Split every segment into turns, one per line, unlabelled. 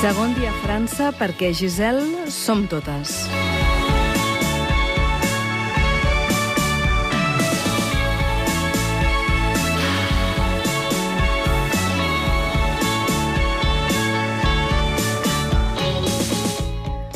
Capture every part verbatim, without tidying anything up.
Segon dia a França perquè Giselle som totes.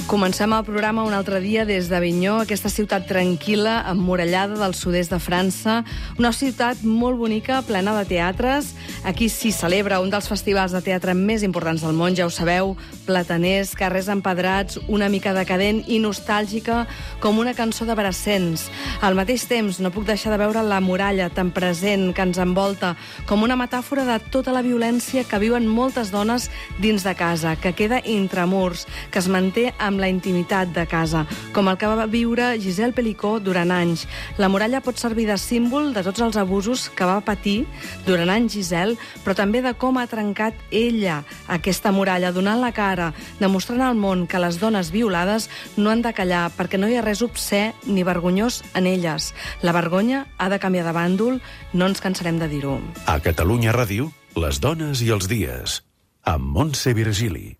Comencem el programa un altre dia des d'Avinyó, aquesta ciutat tranquil·la, emmurallada del sud-est de França, una ciutat molt bonica, plena de teatres. Aquí s'hi celebra un dels festivals de teatre més importants del món, ja ho sabeu, plataners, carrers empedrats, una mica decadent i nostàlgica, com una cançó de Brassens. Al mateix temps, no puc deixar de veure la muralla tan present que ens envolta, com una metàfora de tota la violència que viuen moltes dones dins de casa, que queda intramurs, que es manté amb la intimitat de casa, com el que va viure Giselle Pelicot durant anys. La muralla pot servir de símbol de tots els abusos que va patir durant anys Giselle, però també de com ha trencat ella aquesta muralla, donant la cara, demostrant al món que les dones violades no han de callar, perquè no hi ha res obscè ni vergonyós en elles. La vergonya ha de canviar de bàndol, no ens cansarem de dir-ho.
A Catalunya Ràdio, les dones i els dies, amb Montse Virgili.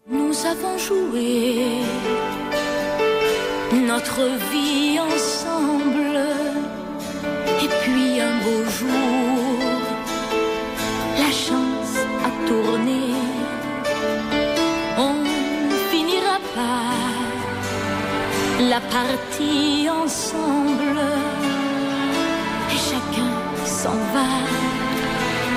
Nous avons joué notre vie ensemble, et puis un beau jour, la chance a tourné. On finira par la partie ensemble, et chacun s'en va.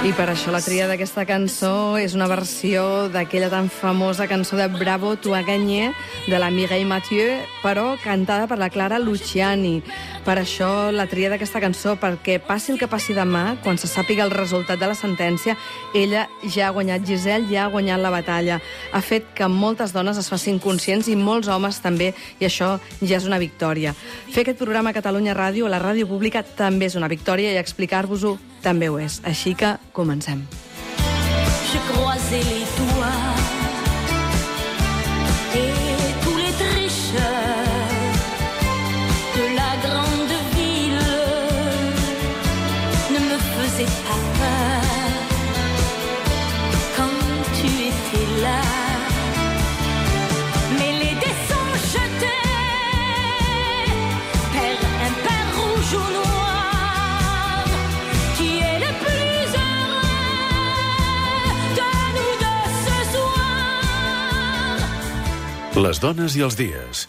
I per això la tria d'aquesta cançó és una versió d'aquella tan famosa cançó de Bravo, tu as gagné, de la Mireille Mathieu, però cantada per la Clara Luciani. Per això la tria d'aquesta cançó, perquè passi el que passi demà, quan se sàpiga el resultat de la sentència, ella ja ha guanyat, Giselle ja ha guanyat la batalla. Ha fet que moltes dones es facin conscients i molts homes també, i això ja és una victòria. Fer aquest programa a Catalunya Ràdio, a la ràdio pública, també és una victòria, i explicar-vos-ho també ho és. Així que comencem.
Je croisais les doigts et tous les tricheurs de la grande ville ne me faisaient pas peur quand tu étais là. Mais les dés sont jetés, père impair, rouge ou noir.
Les dones i els dies,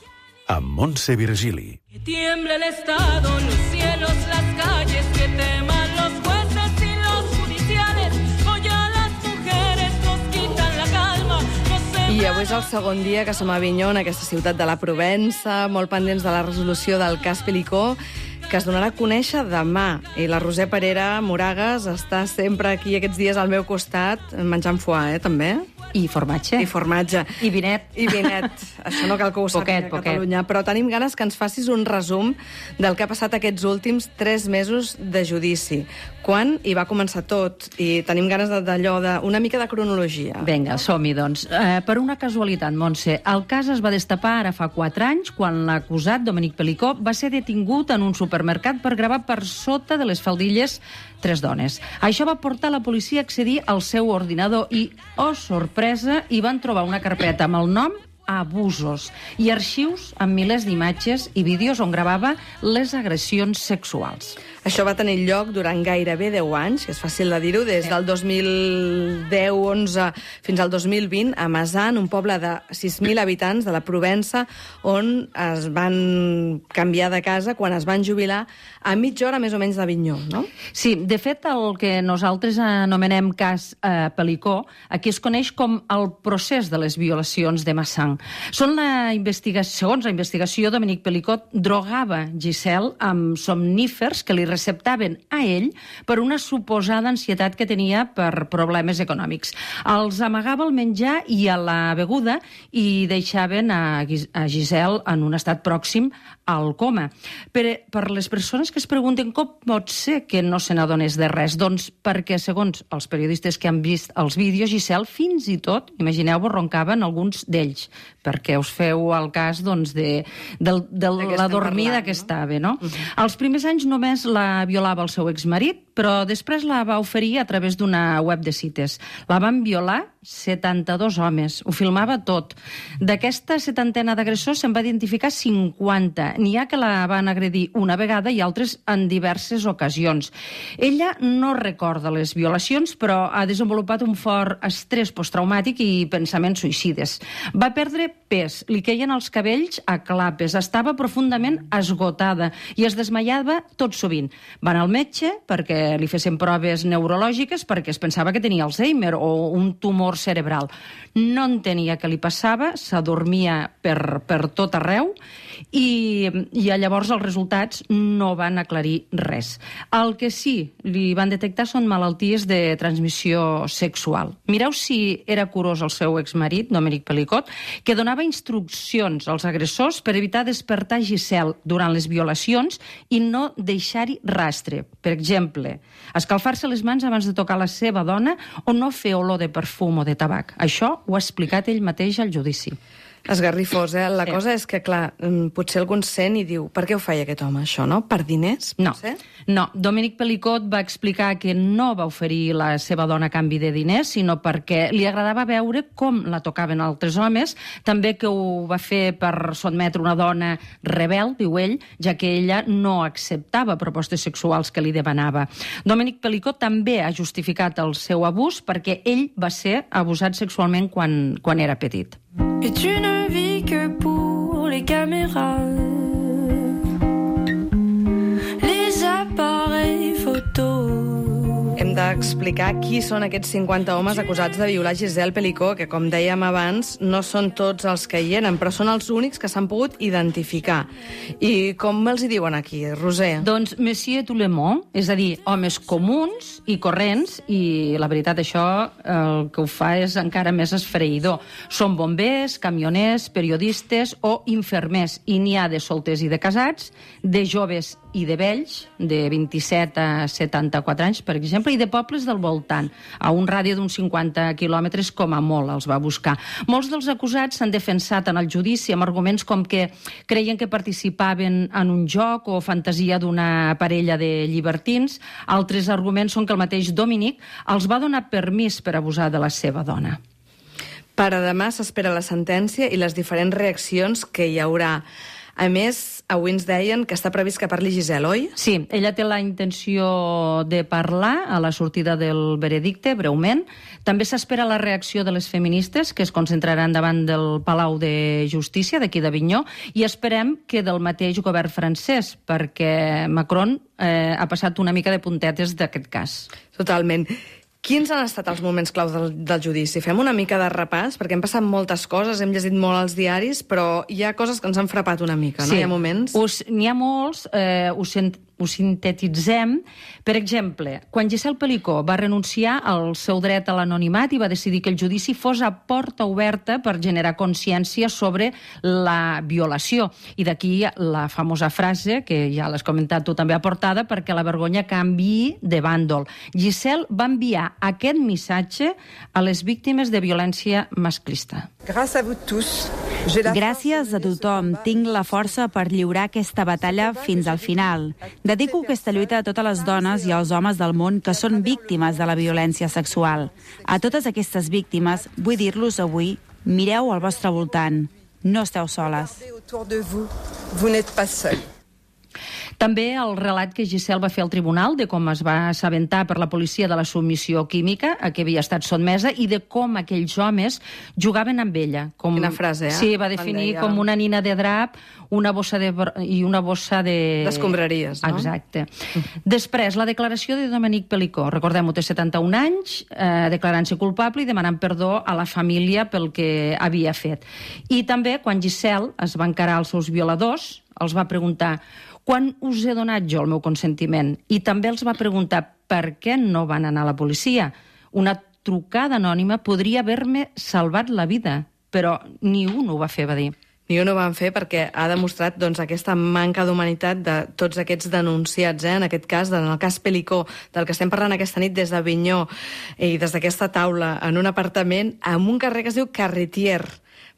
amb Montse Virgili.
Que tiemble el Estado, los cielos, las calles, que teman los jueces y los judiciales, hoy a las mujeres nos quitan la calma. No sé...
I avui és el segon dia que som a Avinyó, en aquesta ciutat de la Provença, molt pendents de la resolució del cas Pelicot, que es donarà a conèixer demà. I la Roser Parera Moragas està sempre aquí aquests dies al meu costat, menjant foie, eh, també?
I formatge.
I formatge.
I vinet.
I vinet. Això no cal que ho sàpiga a Catalunya. Però tenim ganes que ens facis un resum del que ha passat aquests últims tres mesos de judici. Quan hi va començar tot? I tenim ganes d'allò, d'una mica de cronologia.
Vinga, som-hi, doncs. Eh, per una casualitat, Montse, el cas es va destapar ara fa quatre anys, quan l'acusat, Dominique Pelicot, va ser detingut en un supermercat per gravar per sota de les faldilles tres dones. Això va portar la policia a accedir al seu ordinador i, oh sorpresa, hi van trobar una carpeta amb el nom Abusos i arxius amb milers d'imatges i vídeos on gravava les agressions sexuals.
Això va tenir lloc durant gairebé deu anys, que és fàcil de dir-ho, des del dos mil deu onze fins al dos mil vint, a Mazan, un poble de sis mil habitants de la Provença, on es van canviar de casa quan es van jubilar a mitja hora més o menys d'Avinyó, no?
Sí, de fet, el que nosaltres anomenem cas eh, Pelicot, aquí es coneix com el procés de les violacions de Mazan. Són la investigació, segons la investigació, Dominique Pelicot drogava Giselle amb somnífers que li receptaven a ell per una suposada ansietat que tenia per problemes econòmics. Els amagava el menjar i a la beguda i deixaven a, a Giselle en un estat pròxim al coma. Per, per les persones que es pregunten com pot ser que no se n'adonés de res, doncs perquè, segons els periodistes que han vist els vídeos, Giselle fins i tot, imagineu-vos, roncaven alguns d'ells, perquè us feu el cas doncs, de, de, de la dormida parlant, que no? estava. No? Uh-huh. Els primers anys només la violava el seu exmarit, però després la va oferir a través d'una web de cites. La van violar setanta-dos homes, ho filmava tot. D'aquesta setantena d'agressors se'n va identificar cinquanta. N'hi ha que la van agredir una vegada i altres en diverses ocasions. Ella no recorda les violacions, però ha desenvolupat un fort estrès posttraumàtic i pensaments suïcides. Va perdre pes, li queien els cabells a clapes, estava profundament esgotada i es desmaiava tot sovint. Van al metge perquè li fessin proves neurològiques perquè es pensava que tenia Alzheimer o un tumor cerebral. No entenia què li passava, s'adormia per, per tot arreu i, i llavors els resultats no van aclarir res. El que sí li van detectar són malalties de transmissió sexual. Mireu si era curós el seu exmarit, Dominic Pelicot, que donava instruccions als agressors per evitar despertar Giselle durant les violacions i no deixar-hi rastre. Per exemple, escalfar-se les mans abans de tocar la seva dona o no fer olor de perfum o de tabac. Això ho ha explicat ell mateix al judici.
Esgarrifós, eh? La
Sí.
cosa és que, clar, potser algun sent i diu per què ho feia aquest home, això, no? Per diners,
No,
potser?
no. Dominic Pelicot va explicar que no va oferir la seva dona a canvi de diners, sinó perquè li agradava veure com la tocaven altres homes, també que ho va fer per sotmetre una dona rebel, diu ell, ja que ella no acceptava propostes sexuals que li demanava. Dominic Pelicot també ha justificat el seu abús perquè ell va ser abusat sexualment quan, quan era petit.
Et tu ne vis que pour les caméras, les appareils photos.
Hem d'explicar qui són aquests cinquanta homes acusats de violar Giselle Pelicot, que, com dèiem abans, no són tots els que hi eren, però són els únics que s'han pogut identificar. I com els hi diuen aquí, Roser?
Doncs Monsieur tout le monde, és a dir, homes comuns i corrents, i la veritat això el que ho fa és encara més esfereïdor. Són bombers, camioners, periodistes o infermers, i n'hi ha de solters i de casats, de joves i de vells, de vint-i-set a setanta-quatre anys, per exemple, i de pobles del voltant, a un radi d'uns cinquanta quilòmetres com a molt els va buscar. Molts dels acusats s'han defensat en el judici amb arguments com que creien que participaven en un joc o fantasia d'una parella de llibertins. Altres arguments són que el mateix Dominic els va donar permís per abusar de la seva dona.
Per a demà s'espera la sentència i les diferents reaccions que hi haurà. A més, avui ens deien que està previst que parli Giselle, oi?
Sí, ella té la intenció de parlar a la sortida del veredicte, breument. També s'espera la reacció de les feministes, que es concentraran davant del Palau de Justícia d'aquí d'Avinyó, i esperem que del mateix govern francès, perquè Macron eh, ha passat una mica de puntetes d'aquest cas.
Totalment. Quins han estat els moments clau del, del judici? Fem una mica de repàs, perquè han passat moltes coses, hem llegit molt als diaris, però hi ha coses que ens han frapat una mica, no?
Sí.
Hi ha moments...
Us, n'hi ha molts, eh, us, ho sintetitzem. Per exemple, quan Giselle Pelicot va renunciar al seu dret a l'anonimat i va decidir que el judici fos a porta oberta per generar consciència sobre la violació. I d'aquí la famosa frase, que ja l'has comentat tu també a portada, perquè la vergonya canviï de bàndol. Giselle va enviar aquest missatge a les víctimes de violència masclista.
Gràcies a tothom. Tinc la força per lliurar aquesta batalla fins al final. Dedico aquesta lluita a totes les dones i als homes del món que són víctimes de la violència sexual. A totes aquestes víctimes vull dir-los avui, mireu al vostre voltant. No esteu soles.
També el relat que Giselle va fer al tribunal de com es va assabentar per la policia de la submissió química a què havia estat sotmesa i de com aquells homes jugaven amb ella. Com...
Quina frase, eh?
Sí, va definir
deia...
com una nina de drap una bossa de... i una bossa de...
d'escombraries, no?
Exacte. Després, la declaració de Dominic Pelicot. Recordem-ho, té setanta-un anys, eh, declarant-se culpable i demanant perdó a la família pel que havia fet. I també, quan Giselle es va encarar als seus violadors, els va preguntar quan us he donat jo el meu consentiment? I també els va preguntar per què no van anar a la policia. Una trucada anònima podria haver-me salvat la vida, però ni un ho va fer, va dir.
Ni un ho van fer perquè ha demostrat doncs, aquesta manca d'humanitat de tots aquests denunciats, eh? En aquest cas, en el cas Pelicot, del que estem parlant aquesta nit des d'Avinyó i des d'aquesta taula en un apartament amb un carrer que es diu Carretier,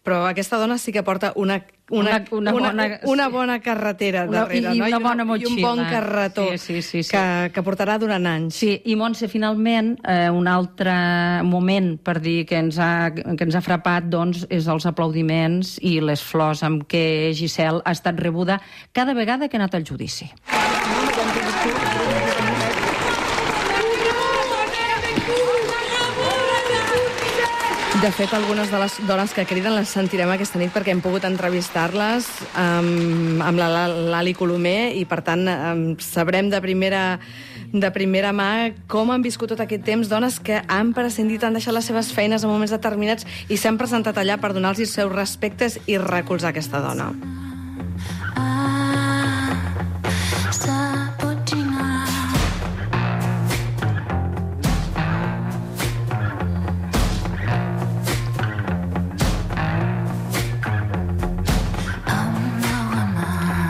però aquesta dona sí que porta una, una,
Una- una
una,
bona-
una bona carretera
Una-
darrere,
i
no?
una bona
I un
motxilla.
bon carretó
Sí, sí, sí, sí.
Que, que portarà durant anys.
Sí, i Montse, finalment, eh, un altre moment per dir que ens ha, que ens ha frapat doncs, és els aplaudiments i les flors amb què Giselle ha estat rebuda cada vegada que ha anat al judici.
De fet, algunes de les dones que criden les sentirem aquesta nit perquè hem pogut entrevistar-les amb, amb la Lali Colomer i, per tant, em, sabrem de primera, de primera mà com han viscut tot aquest temps dones que han prescindit, han deixat les seves feines en moments determinats i s'han presentat allà per donar-los els seus respectes i recolzar aquesta dona.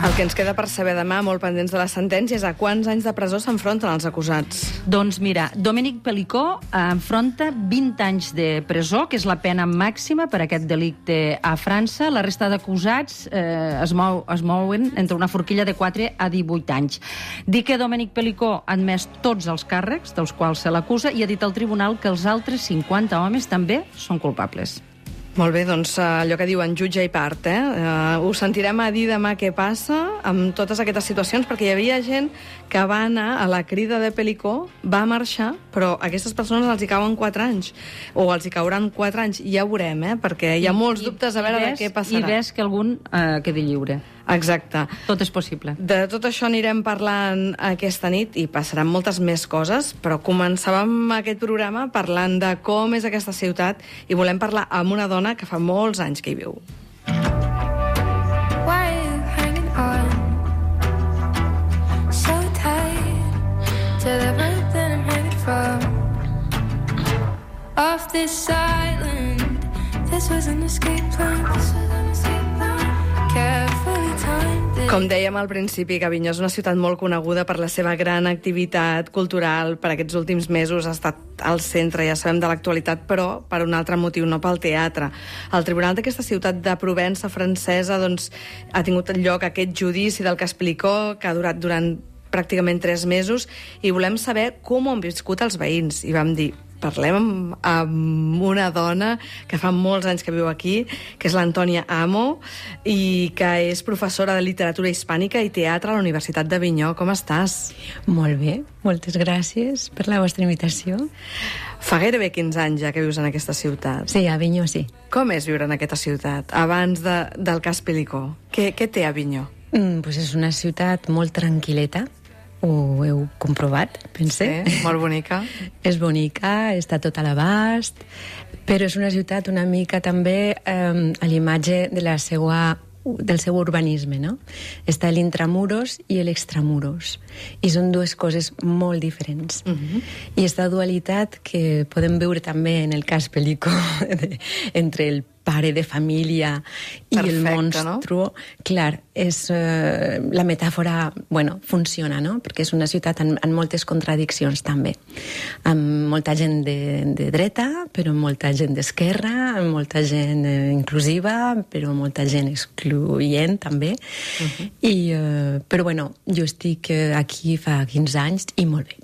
El que ens queda per saber demà, molt pendents de la sentència, és a quants anys de presó s'enfronten els acusats.
Doncs mira, Domènec Pelicó enfronta vint anys de presó, que és la pena màxima per aquest delicte a França. La resta d'acusats eh, es, mou, es mouen entre una forquilla de quatre a divuit anys. Dic que Domènec Pelicó ha admès tots els càrrecs dels quals se l'acusa i ha dit al tribunal que els altres cinquanta homes també són culpables.
Molt bé, doncs allò que diuen jutge i part, eh? Uh, ho sentirem a dir demà què passa amb totes aquestes situacions, perquè hi havia gent que va anar a la crida de Pelicó, va marxar, però a aquestes persones els hi cauen quatre anys, o els hi cauran quatre anys, ja ho veurem, eh? Perquè hi ha molts
I,
dubtes a veure
ves,
de què passarà.
I ves que algun eh, quedi lliure.
Exacte.
Tot és possible.
De tot això anirem parlant aquesta nit i passaran moltes més coses, però començàvem aquest programa parlant de com és aquesta ciutat i volem parlar amb una dona que fa molts anys que hi viu.
Why are you hanging on so tight to the rope that I'm hanging from? Off this island, this was an escape plan. This was an escape plan. Carefully timed it.
Com dèiem al principi, que Avinyó és una ciutat molt coneguda per la seva gran activitat cultural. Per aquests últims mesos ha estat al centre, ja sabem, de l'actualitat, però per un altre motiu, no pel teatre. El tribunal d'aquesta ciutat de Provença francesa doncs, ha tingut lloc aquest judici del cas Pelicó, que ha durat durant pràcticament tres mesos, i volem saber com ho han viscut els veïns. I vam dir, parlem amb, amb una dona que fa molts anys que viu aquí, que és l'Antònia Amo, i que és professora de literatura hispànica i teatre a la Universitat d'Avinyó. Com estàs?
Molt bé, moltes gràcies per la vostra invitació.
Fa gairebé quinze anys ja que vius en aquesta ciutat.
Sí, a Avinyó sí.
Com és viure en aquesta ciutat, abans de, del cas Pelicó? Què, què té Avinyó?
Mm, pues és una ciutat molt tranquil·leta, ho heu comprovat, pense.
Sí, molt bonica.
És bonica, està tot a l'abast, però és una ciutat una mica també eh, a l'imatge de la seva del seu urbanisme, no? Està l'intramuros i l'extramuros, i són dues coses molt diferents. Uh-huh. I aquesta dualitat que podem veure també en el cas Pelicó, entre el pare de família i
Perfecte,
el monstru, no? Clar, és, eh, la metàfora, bueno, funciona, no? Perquè és una ciutat amb, amb moltes contradiccions també, amb molta gent de, de dreta, però molta gent d'esquerra, amb molta gent eh, inclusiva, però molta gent excloent també. Uh-huh. I, eh, però bueno, jo estic aquí fa quinze anys i molt bé.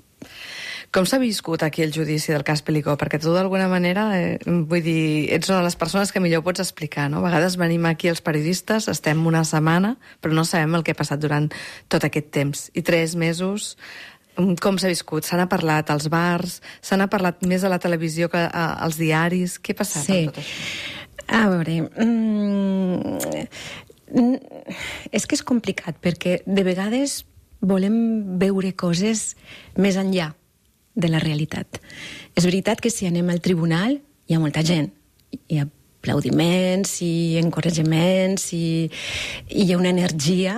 Com s'ha viscut aquí el judici del cas Pelicó? Perquè tu, d'alguna manera, eh, vull dir, ets una de les persones que millor pots explicar, no? A vegades venim aquí els periodistes, estem una setmana, però no sabem el que ha passat durant tot aquest temps. I tres mesos, com s'ha viscut? Se n'ha parlat als bars, se n'ha parlat més a la televisió que a, als diaris. Què ha passat
sí.
amb tot això?
A veure... Mm, és que és complicat, perquè de vegades volem veure coses més enllà de la realitat. És veritat que si anem al tribunal hi ha molta gent, hi ha aplaudiments i encoratjaments i, i hi ha una energia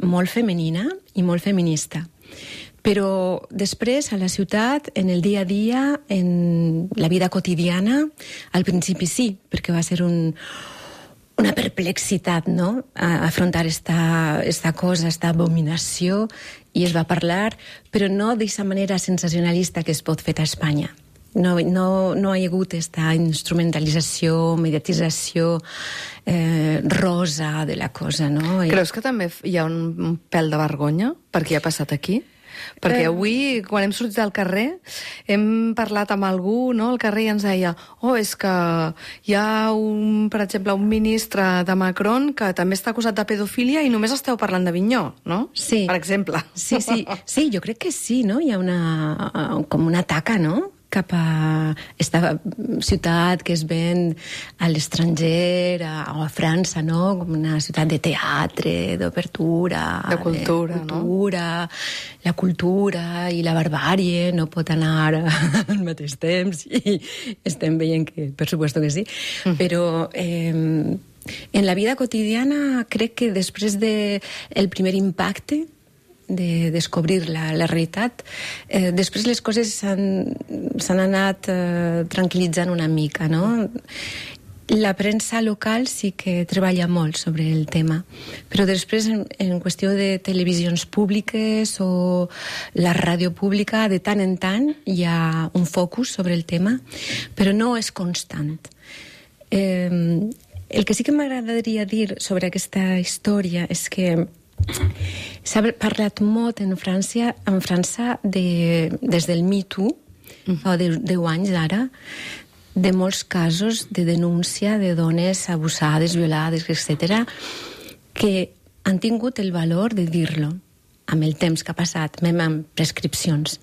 molt femenina i molt feminista. Però després, a la ciutat, en el dia a dia, en la vida quotidiana, al principi sí, perquè va ser un, una perplexitat, no?, a afrontar esta, esta cosa, esta abominació, i es va parlar, però no d'aquesta manera sensacionalista que es pot fer a Espanya. No, no, no hi ha hagut aquesta instrumentalització, mediatització eh, rosa de la cosa, no? I...
Creus que també hi ha un pèl de vergonya per què ha passat aquí? Perquè avui, quan hem sortit al carrer, hem parlat amb algú, no?, al carrer, i ens deia oh, és que hi ha, un, per exemple, un ministre de Macron que també està acusat de pedofília i només esteu parlant d'Avinyó, no?
Sí.
Per exemple.
Sí, sí, sí, jo crec que sí, no? Hi ha una, com una taca, no?, cap a esta ciutat que es ven a l'estranger, a, a França, no?, com una ciutat de teatre, d'obertura...
De cultura,
de cultura, no? La cultura i la barbàrie no pot anar al mateix temps, i estem veient que, per supuesto que sí, mm. però... Eh, en la vida quotidiana crec que després del de primer impacte de descobrir la, la realitat, eh, després les coses s'han anat eh, tranquil·litzant una mica, no? La premsa local sí que treballa molt sobre el tema, però després en, en qüestió de televisions públiques o la ràdio pública, de tant en tant hi ha un focus sobre el tema, però no és constant. Eh, el que sí que m'agradaria dir sobre aquesta història és que s'ha parlat molt en França, en França de, des del Me Too, mm. fa deu anys ara, de molts casos de denúncia de dones abusades, violades, etcètera, que han tingut el valor de dir-lo amb el temps que ha passat, même amb prescripcions.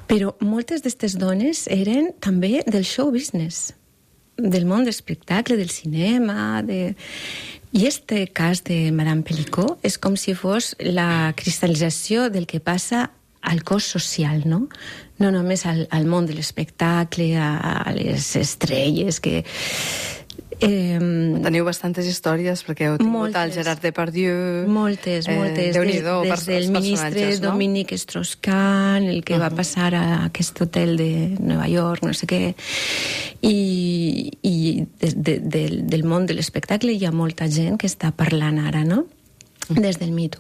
Però moltes d'aquestes dones eren també del show business, del món de l'espectacle, del cinema, de... I este cas de Madame Pelicot és com si fos la cristal·lització del que passa al cos social, no? No només al, al món de l'espectacle, a, a les estrelles, que... Eh,
Teniu bastantes històries, perquè heu tingut moltes, el Gerard Depardieu...
Moltes, moltes. Eh, des, des del ministre no? Dominique Strauss-Kahn, el que uh -huh. va passar a aquest hotel de Nova York, no sé què... I, i de, de, de, del món de l'espectacle hi ha molta gent que està parlant ara, no? Des del Me Too.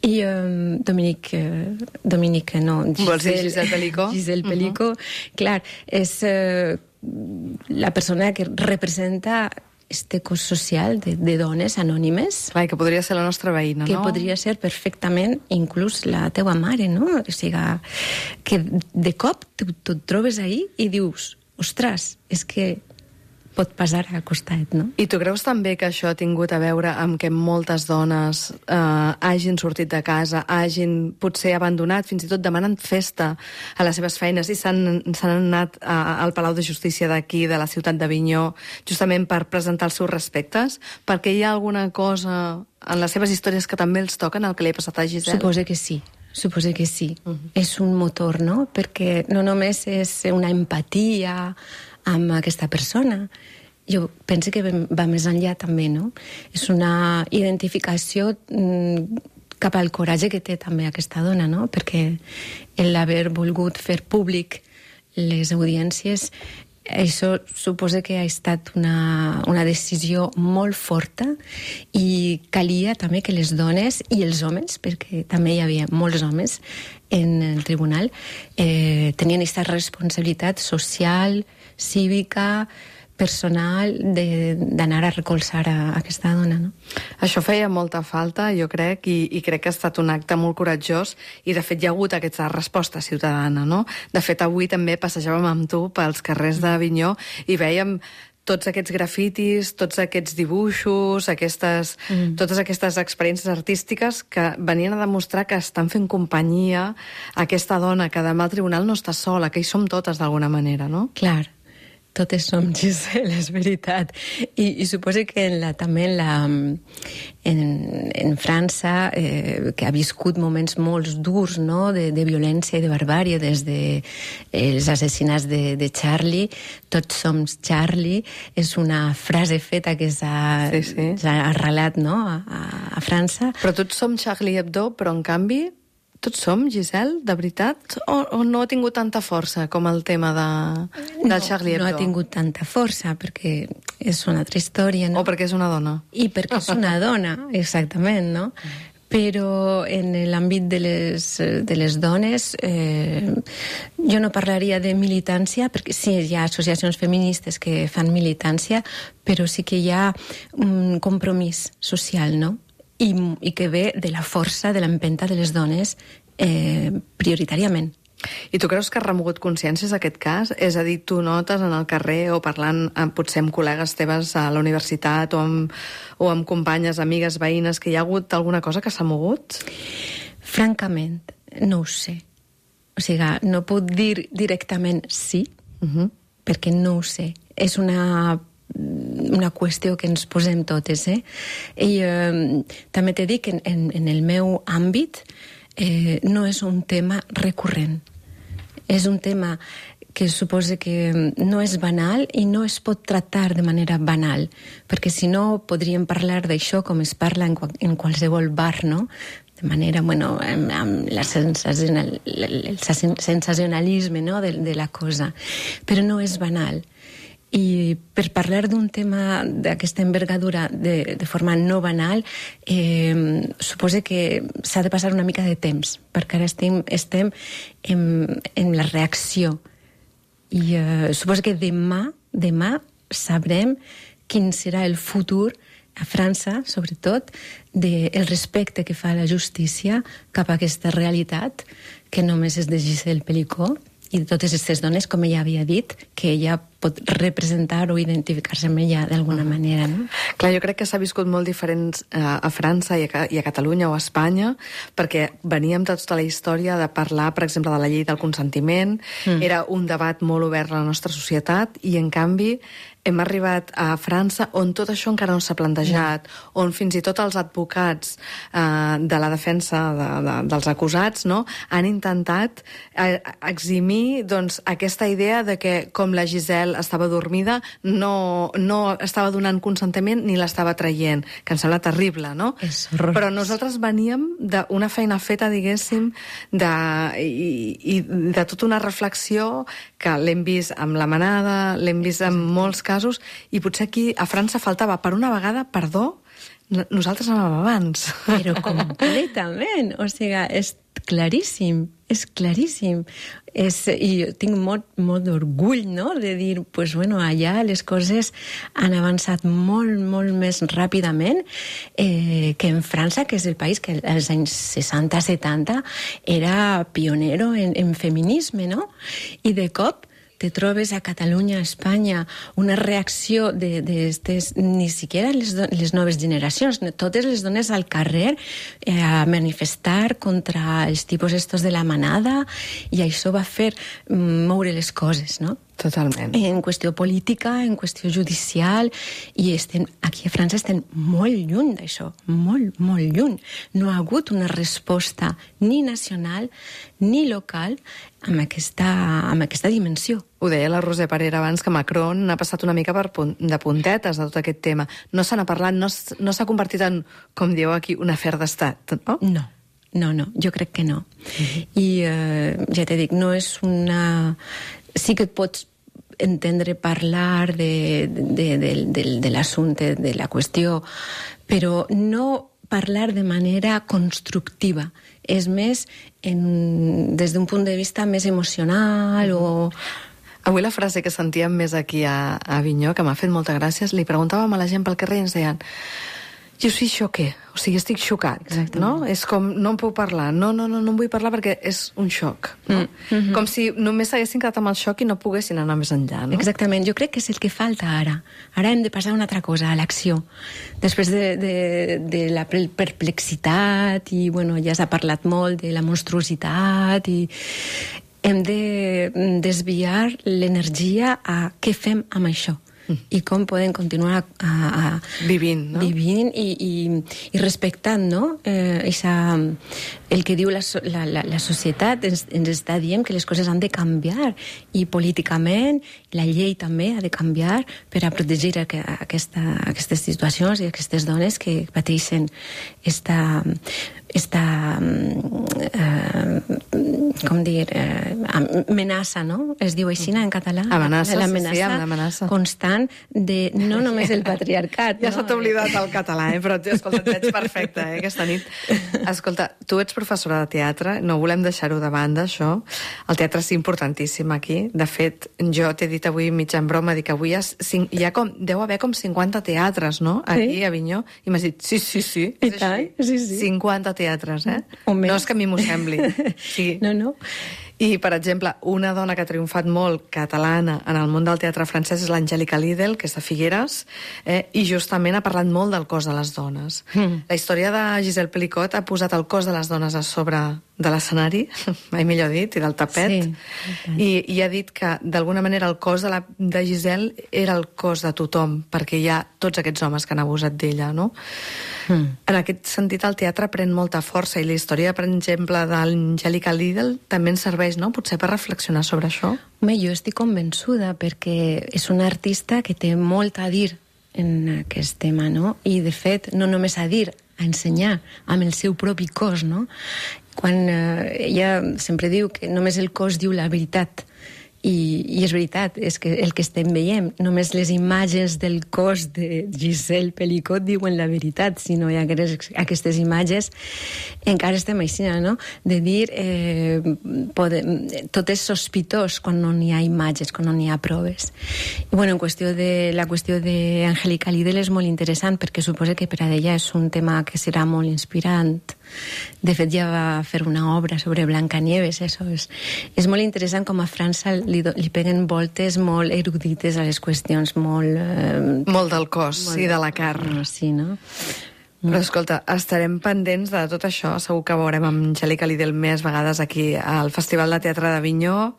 I um, Dominic, uh, Dominic, no...
Giselle, Vols dir Giselle Pelicot?
Giselle Pelicot, uh -huh. clar, és uh, la persona que representa este cos social de, de dones anònimes.
Clar, que podria ser la nostra veïna,
que
no?
Que podria ser perfectament inclús la teua mare, no? O sigui, que de cop tu et trobes ahí i dius... Ostres, és que pot passar al costat, no?
I tu creus també que això ha tingut a veure amb que moltes dones eh, hagin sortit de casa, hagin potser abandonat, fins i tot demanant festa a les seves feines i s'han anat a, al Palau de Justícia d'aquí, de la ciutat d'Avinyó, justament per presentar els seus respectes? Perquè hi ha alguna cosa en les seves històries que també els toquen, el que li ha passat a Giselle?
Suposo que sí. Suposo que sí. Uh -huh. És un motor, no? Perquè no només és una empatia amb aquesta persona. Jo penso que va més enllà també, no? És una identificació mm, cap al coratge que té també aquesta dona, no? Perquè l'haver volgut fer públic les audiències, això suposa que ha estat una, una decisió molt forta i calia també que les dones i els homes, perquè també hi havia molts homes en el tribunal, eh, tenien aquesta responsabilitat social, cívica, personal, d'anar a recolzar a, a aquesta dona, no?
Això feia molta falta, jo crec, i, i crec que ha estat un acte molt coratjós, i de fet hi ha hagut aquesta resposta ciutadana, no? De fet, avui també passejàvem amb tu pels carrers d'Avinyó i vèiem tots aquests grafitis, tots aquests dibuixos, aquestes, mm. totes aquestes experiències artístiques que venien a demostrar que estan fent companyia a aquesta dona, que demà al tribunal no està sola, que hi som totes d'alguna manera, no?
Clar. Totes som Giselle, és veritat. I, i suposo que en la, també en, la, en, en França, eh, que ha viscut moments molt durs, no?, de, de violència i de barbàrie, des de eh, els assassinats de, de Charlie, tots som Charlie, és una frase feta que s'ha
sí, sí.
arrelat, no?, a, a França.
Però tots som Charlie Hebdo, però en canvi... Tots som, Giselle, de veritat? O, o no ha tingut tanta força com el tema de, del Charlie Hebdo?
No ha tingut tanta força, perquè és una altra història, no?
O perquè és una dona?
I perquè és una dona, exactament, no? Però en l'àmbit de les, de les dones eh, jo no parlaria de militància, perquè sí, hi ha associacions feministes que fan militància, però sí que hi ha un compromís social, no? I, i que ve de la força, de l'empenta de les dones eh, prioritàriament.
I tu creus que has remogut consciències aquest cas? És a dir, tu notes en el carrer o parlant amb, potser amb col·legues teves a la universitat o amb, o amb companyes, amigues, veïnes, que hi ha hagut alguna cosa que s'ha mogut?
Francament, no ho sé. O sigui, no puc dir directament sí, uh-huh. perquè no ho sé. És una, una qüestió que ens posem totes, eh? I eh, també t'he dit que en, en, en el meu àmbit eh, no és un tema recurrent. És un tema que suposa que no és banal i no es pot tractar de manera banal, perquè si no podríem parlar d'això com es parla en, en qualsevol bar, no? De manera, bueno, amb, amb la sensacional, el sensacionalisme, no? de, de la cosa. Però no és banal. I per parlar d'un tema d'aquesta envergadura de, de forma no banal, eh, suposa que s'ha de passar una mica de temps, perquè ara estem, estem en, en la reacció. I eh, suposa que demà, demà sabrem quin serà el futur a França, sobretot, del respecte que fa la justícia cap a aquesta realitat, que només és de Gisèle Pelicot, i de totes aquestes dones, com ella havia dit, que ella pot representar o identificar-se amb ella d'alguna manera, no?
Clar, jo crec que s'ha viscut molt diferent a, a França i a, i a Catalunya o a Espanya, perquè veníem tota la història de parlar, per exemple, de la llei del consentiment, mm. era un debat molt obert a la nostra societat, i en canvi hem arribat a França on tot això encara no s'ha plantejat, no. on fins i tot els advocats eh, de la defensa de, de, dels acusats, no, han intentat eh, eximir doncs, aquesta idea de que com la Gisèle estava dormida no, no estava donant consentiment ni l'estava traient, que em sembla terrible, no?
És horrorós. Però
nosaltres veníem d'una feina feta, diguéssim, de, i, i de tota una reflexió que l'hem vist amb la manada, l'hem vist en molts casos, i potser aquí a França faltava, per una vegada, perdó, nosaltres anàvem abans.
Però completament, o sigui, és claríssim, és claríssim. És, I jo tinc molt, molt d'orgull, no?, de dir, pues, bueno, allà les coses han avançat molt, molt més ràpidament eh, que en França, que és el país que als anys seixanta setanta era pionero en, en feminisme, no? I de cop te trobes a Catalunya, a Espanya, una reacció de, de estes, ni siquiera les, do, les noves generacions, totes les dones al carrer eh, a manifestar contra els tipus estos de la manada, i això va fer moure les coses, no?
Totalment.
En qüestió política, en qüestió judicial, i estem, aquí a França estem molt lluny d'això, molt, molt lluny. No ha hagut una resposta ni nacional ni local amb aquesta, amb aquesta dimensió.
Ho deia la Roser Parera abans, que Macron ha passat una mica per punt, de puntetes de tot aquest tema. No se n'ha parlat, no, no s'ha convertit en, com dieu aquí, un afer d'estat, no?
No. No, no, jo crec que no. Uh-huh. I eh, ja t'he dit, no és una... Sí que et pots entendre parlar de, de, de, de, de l'assumpte, de la qüestió, però no parlar de manera constructiva. És més en, des d'un punt de vista més emocional o...
Avui la frase que sentíem més aquí a, a Avinyó, que m'ha fet molta gràcia, li preguntàvem a la gent pel carrer i ens deien: jo sí xoqué, o sigui, estic xocat. Exactament. No? És com, no en puc parlar, no, no, no, no en vull parlar perquè és un xoc. No? Mm. Mm-hmm. Com si només s'haguessin quedat amb el xoc i no poguessin anar més enllà, no?
Exactament, jo crec que és el que falta ara. Ara hem de passar a una altra cosa, a l'acció. Després de, de, de la perplexitat, i bueno, ja s'ha parlat molt de la monstruositat, i hem de desviar l'energia a què fem amb això. I com podem continuar a, a, a
vivint, no?
vivint i, i, i respectant, no? Eh, esa, el que diu la, la, la societat ens, ens està dient que les coses han de canviar, i políticament la llei també ha de canviar per a protegir a, a aquesta, aquestes situacions i aquestes dones que pateixen esta, esta eh, com dir, eh, amenaça, no? Es diu així en català?
Amenaça,
l'amenaça
sí, sí, l'amenaça.
constant de no només el patriarcat.
Ja
no?
s'ha oblidat el català, eh? Però, escolta, et veig perfecte, eh, aquesta nit. Escolta, tu ets professora de teatre, no volem deixar-ho de banda, això. El teatre és importantíssim aquí. De fet, jo t'he dit avui mitja en broma, dic que avui hi ha, cinc, hi ha com, deu haver com cinquanta teatres, no?, aquí sí? a Avinyó. I m'has dit, sí, sí, sí.
I tant, sí, sí.
cinquanta teatres, eh?
O més.
No és que a mi m'ho sembli. Sí.
No, no.
I, per exemple, una dona que ha triomfat molt catalana en el món del teatre francès és l'Angèlica Lidl, que és de Figueres, eh, i justament ha parlat molt del cos de les dones. Mm. La història de Gisèle Pelicot ha posat el cos de les dones a sobre de l'escenari, mai millor dit, i del tapet,
sí,
i, i ha dit que, d'alguna manera, el cos de, la, de Gisèle era el cos de tothom, perquè hi ha tots aquests homes que han abusat d'ella, no? Mm. En aquest sentit, el teatre pren molta força, i la història, per exemple, d'Angèlica Lidl també ens serveix, no?, potser per reflexionar sobre això.
Home, jo estic convençuda, perquè és una artista que té molt a dir en aquest tema, no? I, de fet, no només a dir, a ensenyar amb el seu propi cos, no? Quan eh, ella sempre diu que només el cos diu la veritat, i, i és veritat, és que el que estem veient, només les imatges del cos de Gisèle Pelicot diuen la veritat, si no hi ha aquestes, aquestes imatges, encara estem així, no? De dir, eh, pode, tot és sospitós quan no n'hi ha imatges, quan no n'hi ha proves. I, bueno, en qüestió de, la qüestió d'Angèlica Lidl és molt interessant, perquè suposo que per a ella és un tema que serà molt inspirant. De fet, ja va fer una obra sobre Blancanieves, això és, és molt interessant com a França li, do, li peguen voltes molt erudites a les qüestions, molt... Eh,
molt del cos molt, i de la carn.
Sí, no?
Però, escolta, estarem pendents de tot això. Segur que veurem amb Angèlica Lidl més vegades aquí al Festival de Teatre d'Avinyó.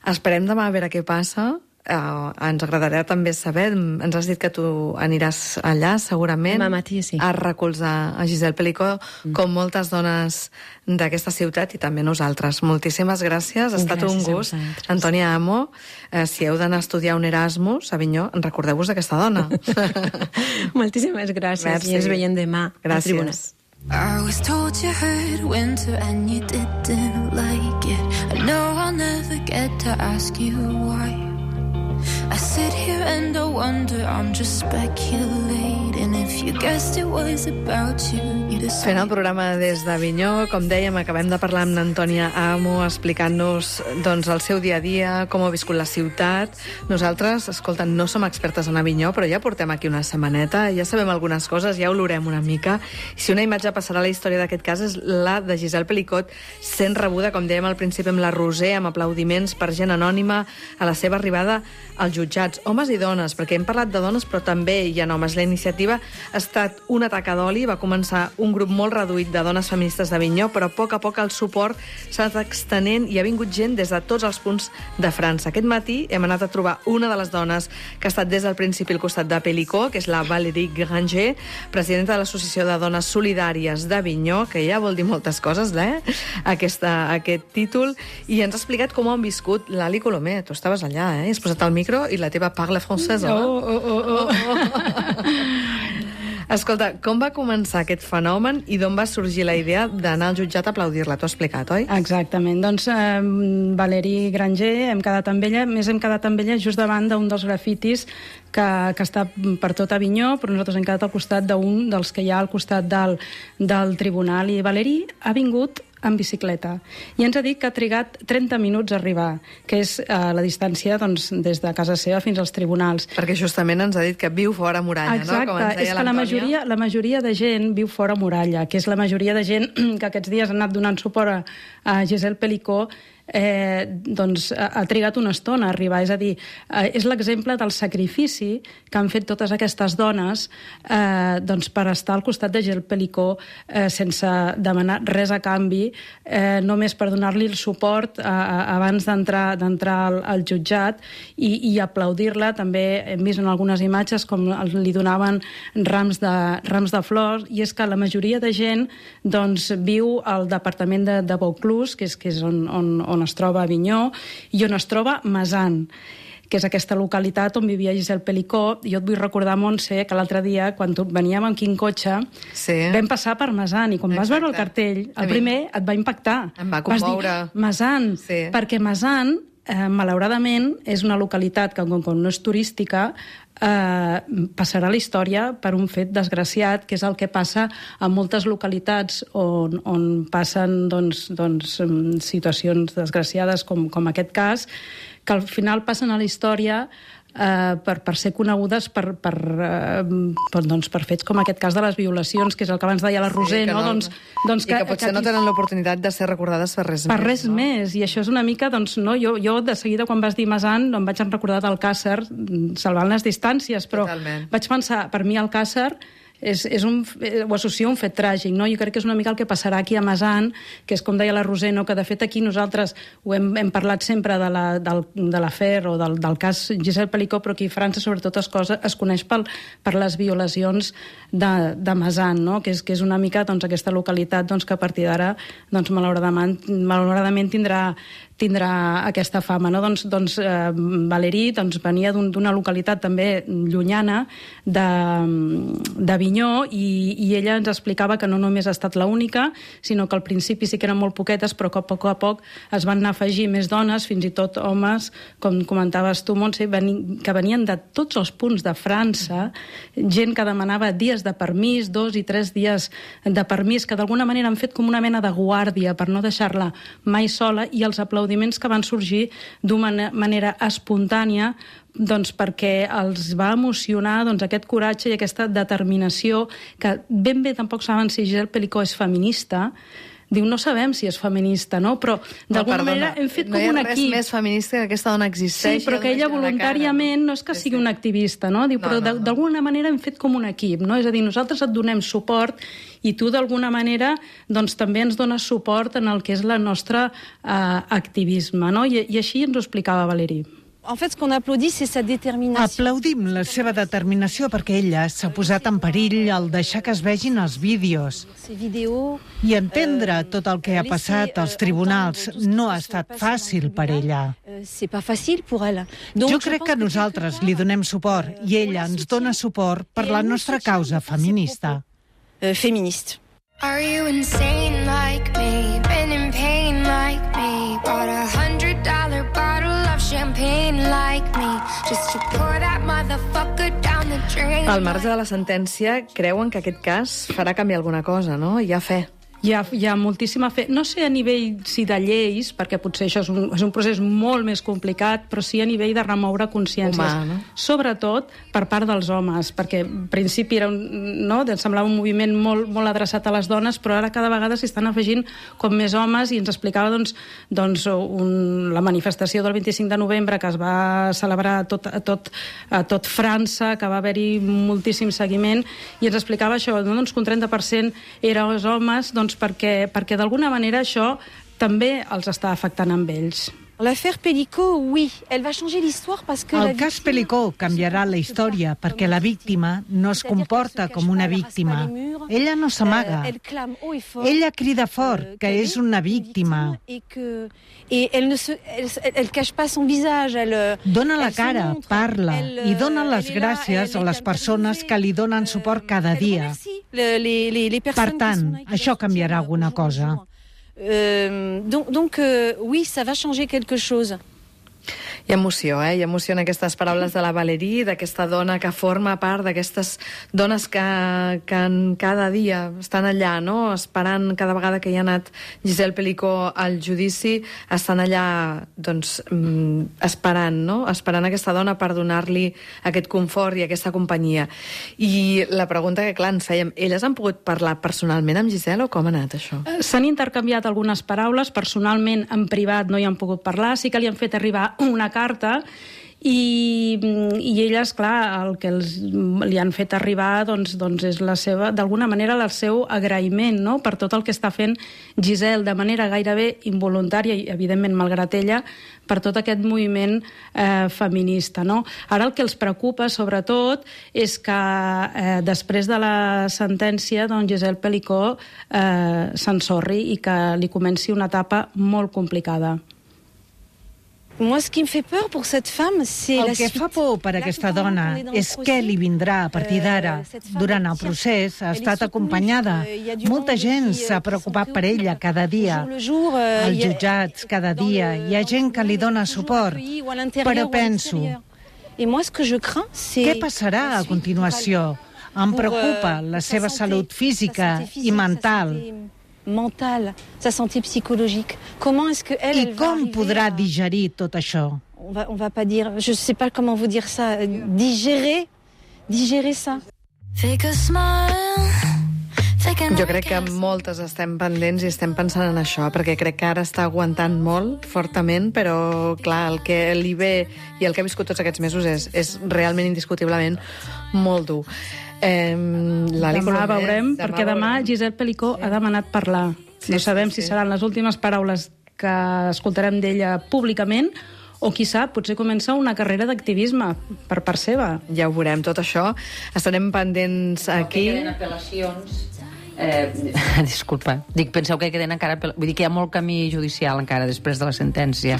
Esperem demà a veure què passa. Uh, ens agradarà també saber, ens has dit que tu aniràs allà segurament
demà matí, sí,
a recolzar a Gisèle Pelicot, mm. com moltes dones d'aquesta ciutat i també nosaltres. Moltíssimes gràcies, ha estat un gust. Antònia Amo, eh, si heu d'anar a estudiar un Erasmus a Avinyó, recordeu-vos d'aquesta dona.
Moltíssimes gràcies.
Merci.
I ens veiem demà al tribunal.
I was told you heard winter and you didn't like it. I know I'll never get to ask you why. I sit here and I wonder, I'm just speculating. If you guessed it was about you, you decide.
Fent el programa des d'Avinyó, com dèiem, acabem de parlar amb Antònia Amo, explicant-nos doncs, el seu dia a dia, com ha viscut la ciutat. Nosaltres, escolta, no som expertes en Avinyó, però ja portem aquí una setmaneta, ja sabem algunes coses, ja olorem una mica. I si una imatge passarà a la història d'aquest cas és la de Gisèle Pelicot sent rebuda, com dèiem al principi, amb la Roser, amb aplaudiments per gent anònima a la seva arribada als jutjats, homes i dones, perquè hem parlat de dones però també hi ha homes. La iniciativa ha estat una taca d'oli, va començar un grup molt reduït de dones feministes d'Avinyó, però a poc a poc el suport s'ha anat extenent i ha vingut gent des de tots els punts de França. Aquest matí hem anat a trobar una de les dones que ha estat des del principi al costat de Pelicot, que és la Valérie Granger, presidenta de l'Associació de Dones Solidàries d'Avinyó, que ja vol dir moltes coses, eh? Aquesta, aquest títol, i ens ha explicat com ho han viscut. Lali Colomé, tu estaves allà, eh? Has posat el micro i la teva parla francesa.
Oh, oh, oh, oh.
oh. Escolta, com va començar aquest fenomen i d'on va sorgir la idea d'anar al jutjat a aplaudir-la? T'ho has explicat, oi?
Exactament. Doncs eh, Valérie Granger, hem quedat amb ella, més hem quedat amb ella just davant d'un dels grafitis que, que està per tot Avinyó, però nosaltres hem quedat al costat d'un dels que hi ha al costat del, del tribunal. I Valérie ha vingut en bicicleta. I ens ha dit que ha trigat trenta minuts a arribar, que és eh, la distància doncs, des de casa seva fins als tribunals.
Perquè justament ens ha dit que viu fora Muralla,
exacte,
no? Com ens deia
és que la majoria, la majoria de gent viu fora Muralla, que és la majoria de gent que aquests dies ha anat donant suport a, a Gisèle Pelicot, eh, doncs ha, ha trigat una estona a arribar. És a dir, eh, és l'exemple del sacrifici que han fet totes aquestes dones eh, doncs per estar al costat de Gisèle Pelicot eh, sense demanar res a canvi, eh, només per donar-li el suport a, a, abans d'entrar d'entrar al, al jutjat i, i aplaudir-la. També hem vist en algunes imatges com li donaven rams de, rams de flors, i és que la majoria de gent doncs, viu al departament de, de Vaucluse, que és, que és on, on, on es troba Avinyó, i on es troba Mazan. que és aquesta localitat on vivia Giselle Pelicó. Jo et vull recordar, Montse, que l'altre dia, quan tu, veníem amb quin cotxe, sí. vam passar per Mesan, i quan Exacte. vas veure el cartell, el primer et va impactar.
Em va commoure.
Vas dir, Mesan, sí. perquè Mesan, eh, malauradament, és una localitat que, com, com no és turística, eh, passarà a la història per un fet desgraciat, que és el que passa a moltes localitats on, on passen doncs, doncs, situacions desgraciades com, com aquest cas, que al final passen a la història eh, per, per ser conegudes per, per, eh, per, doncs, per fets com aquest cas de les violacions, que és el que abans deia la Roser, sí, no? no? Doncs, doncs
I que, que potser que, no tenen l'oportunitat de ser recordades per res
per
més.
Per res no? més, i això és una mica, doncs, no? Jo, jo de seguida, quan vas dir Mesan, no em vaig recordar d'Alcàsser, salvant les distàncies, però Totalment. vaig pensar, per mi Alcàsser és, és un, ho associo a un fet tràgic, no? Jo crec que és una mica el que passarà aquí a Mesan, que és com deia la Roser, no? Que de fet aquí nosaltres ho hem, hem parlat sempre de la, del, de l'afer o del, del cas Giselle Pelicó, però aquí a França sobretot es, cosa, es coneix pel, per les violacions de, de Mesan, no? Que és, que és una mica doncs, aquesta localitat doncs, que a partir d'ara doncs, malauradament, malauradament tindrà tindrà aquesta fama. No? Doncs, doncs eh, Valérie doncs, venia d'una un, localitat també llunyana de, d'Avinyó i, i ella ens explicava que no només ha estat l'única, sinó que al principi sí que eren molt poquetes, però que a poc a poc es van anar a afegir més dones, fins i tot homes, com comentaves tu, Montse, veni, que venien de tots els punts de França, gent que demanava dies de permís, dos i tres dies de permís, que d'alguna manera han fet com una mena de guàrdia per no deixar-la mai sola, i els aplaudiments que van sorgir d'una manera espontània doncs perquè els va emocionar doncs, aquest coratge i aquesta determinació que ben bé tampoc saben si Giselle Pelicó és feminista. Diu, no sabem si és feminista, no? Però d'alguna no, manera hem fet
no
com un equip.
No hi ha res més feminista que aquesta dona existeix.
Sí, però que ella voluntàriament no és que sigui una activista, no? Diu, però no, no, d'alguna manera hem fet com un equip, no? És a dir, nosaltres et donem suport i tu d'alguna manera doncs també ens dones suport en el que és el nostre eh, activisme, no? I, i així ens ho explicava Valérie.
En fait, ce qu'on applaudit, c'est sa détermination.
Aplaudim la seva determinació perquè ella s'ha posat en perill al deixar que es vegin els vídeos. I entendre tot el que ha passat als tribunals no ha estat fàcil per ella. Jo crec que nosaltres li donem suport i ella ens dona suport per la nostra causa feminista.
Feminista.
Are you insane like me? Been in pain like me? Bought a hundred dollar bottle of champagne like me? Just to pour that motherfucker down the drain.
Al marge de la sentència, creuen que aquest cas farà canviar alguna cosa, no? Hi ha fe.
Hi ha, hi ha moltíssima fe, no sé a nivell si de lleis, perquè potser això és un, és un procés molt més complicat, però sí a nivell de remoure consciències.
Humà, no?
Sobretot per part dels homes, perquè en principi era un, no, semblava un moviment molt, molt adreçat a les dones, però ara cada vegada s'hi estan afegint com més homes, i ens explicava doncs, doncs, un, la manifestació del vint-i-cinc de novembre que es va celebrar a tot, a tot, a tot França, que va haver-hi moltíssim seguiment, i ens explicava això, no, doncs, que un trenta per cent eren els homes, doncs, perquè, perquè d'alguna manera això també els està afectant amb ells.
L'affaire Pelicó, oui, elle va changer l'histoire parce que
el cas Pelicó canviarà la història perquè la víctima no es comporta com una víctima. Ella no s'amaga. Ella crida fort que és una víctima. Dona la cara, parla i dona les gràcies a les persones que li donen suport cada dia. Per tant, això canviarà alguna cosa.
Euh, donc, donc euh, oui, ça va changer quelque chose.
Hi ha emoció, eh? Hi ha emoció en aquestes paraules de la Valérie, d'aquesta dona que forma part d'aquestes dones que, que cada dia estan allà, no? Esperant cada vegada que hi ha anat Giselle Pelicó al judici, estan allà, doncs, esperant, no? Esperant aquesta dona per donar-li aquest confort i aquesta companyia. I la pregunta que, clar, ens fèiem, elles han pogut parlar personalment amb Giselle o com ha anat això?
S'han intercanviat algunes paraules, personalment, en privat no hi han pogut parlar, sí que li han fet arribar una carta i, i elles, clar, el que els, li han fet arribar doncs, doncs és la seva, d'alguna manera el seu agraïment, no?, per tot el que està fent Giselle de manera gairebé involuntària i evidentment malgrat ella, per tot aquest moviment eh, feminista, no? Ara el que els preocupa sobretot és que eh, després de la sentència doncs Giselle Pelicó eh, s'ensorri i que li comenci una etapa molt complicada.
Moi, ce qui me fait peur pour cette femme, c'est la
El que
suite.
fa por per aquesta dona és què li vindrà a partir d'ara. Durant el procés ha estat acompanyada. Molta gent s'ha preocupat per ella cada dia. Els jutjats cada dia. Hi ha gent que li dona suport. Però penso, què passarà a continuació? Em preocupa la seva salut física i mental.
Mental, sa santé psychologique. Comment est-ce que elle,
I
elle
com podrà digerir tot això?
On va, on va pas dire, je sais pas comment vous dire ça, digérer, digérer ça.
Fake a smile.
Jo crec que moltes estem pendents i estem pensant en això, perquè crec que ara està aguantant molt, fortament, però, clar, el que li ve i el que ha viscut tots aquests mesos és, és realment, indiscutiblement, molt dur. Eh,
demà Colomer, veurem, demà perquè demà veurem. Giselle Pelicó sí. ha demanat parlar. Sí, no sabem sí, sí. si seran les últimes paraules que escoltarem d'ella públicament o, qui sap, potser comença una carrera d'activisme per part seva.
Ja ho veurem, tot això. Estarem pendents aquí.
Que queden apel·lacions... Eh, disculpa, dic, penseu que queden encara... Vull dir que hi ha molt camí judicial encara després de la sentència.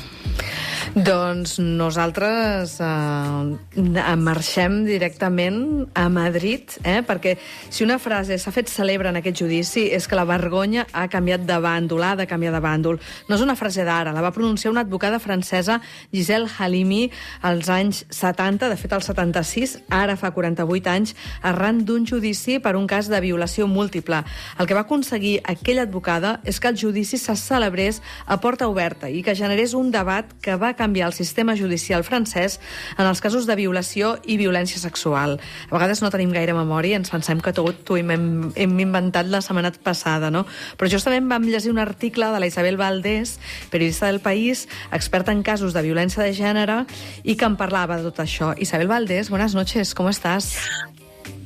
Doncs nosaltres eh, marxem directament a Madrid, eh, perquè si una frase s'ha fet cèlebre en aquest judici és que la vergonya ha canviat de bàndol, ha de canviar de bàndol. No és una frase d'ara, la va pronunciar una advocada francesa, Giselle Halimi, als anys setanta, de fet al setanta-sis, ara fa quaranta-vuit anys, arran d'un judici per un cas de violació múltiple. El que va aconseguir aquella advocada és que el judici se celebrés a porta oberta i que generés un debat que va canviar el sistema judicial francès en els casos de violació i violència sexual. A vegades no tenim gaire memòria, ens pensem que tot ho hem, hem inventat la setmana passada, no? Però justament vam llegir un article de la Isabel Valdés, periodista del País, experta en casos de violència de gènere, i que en parlava de tot això. Isabel Valdés, buenas noches, ¿cómo estás?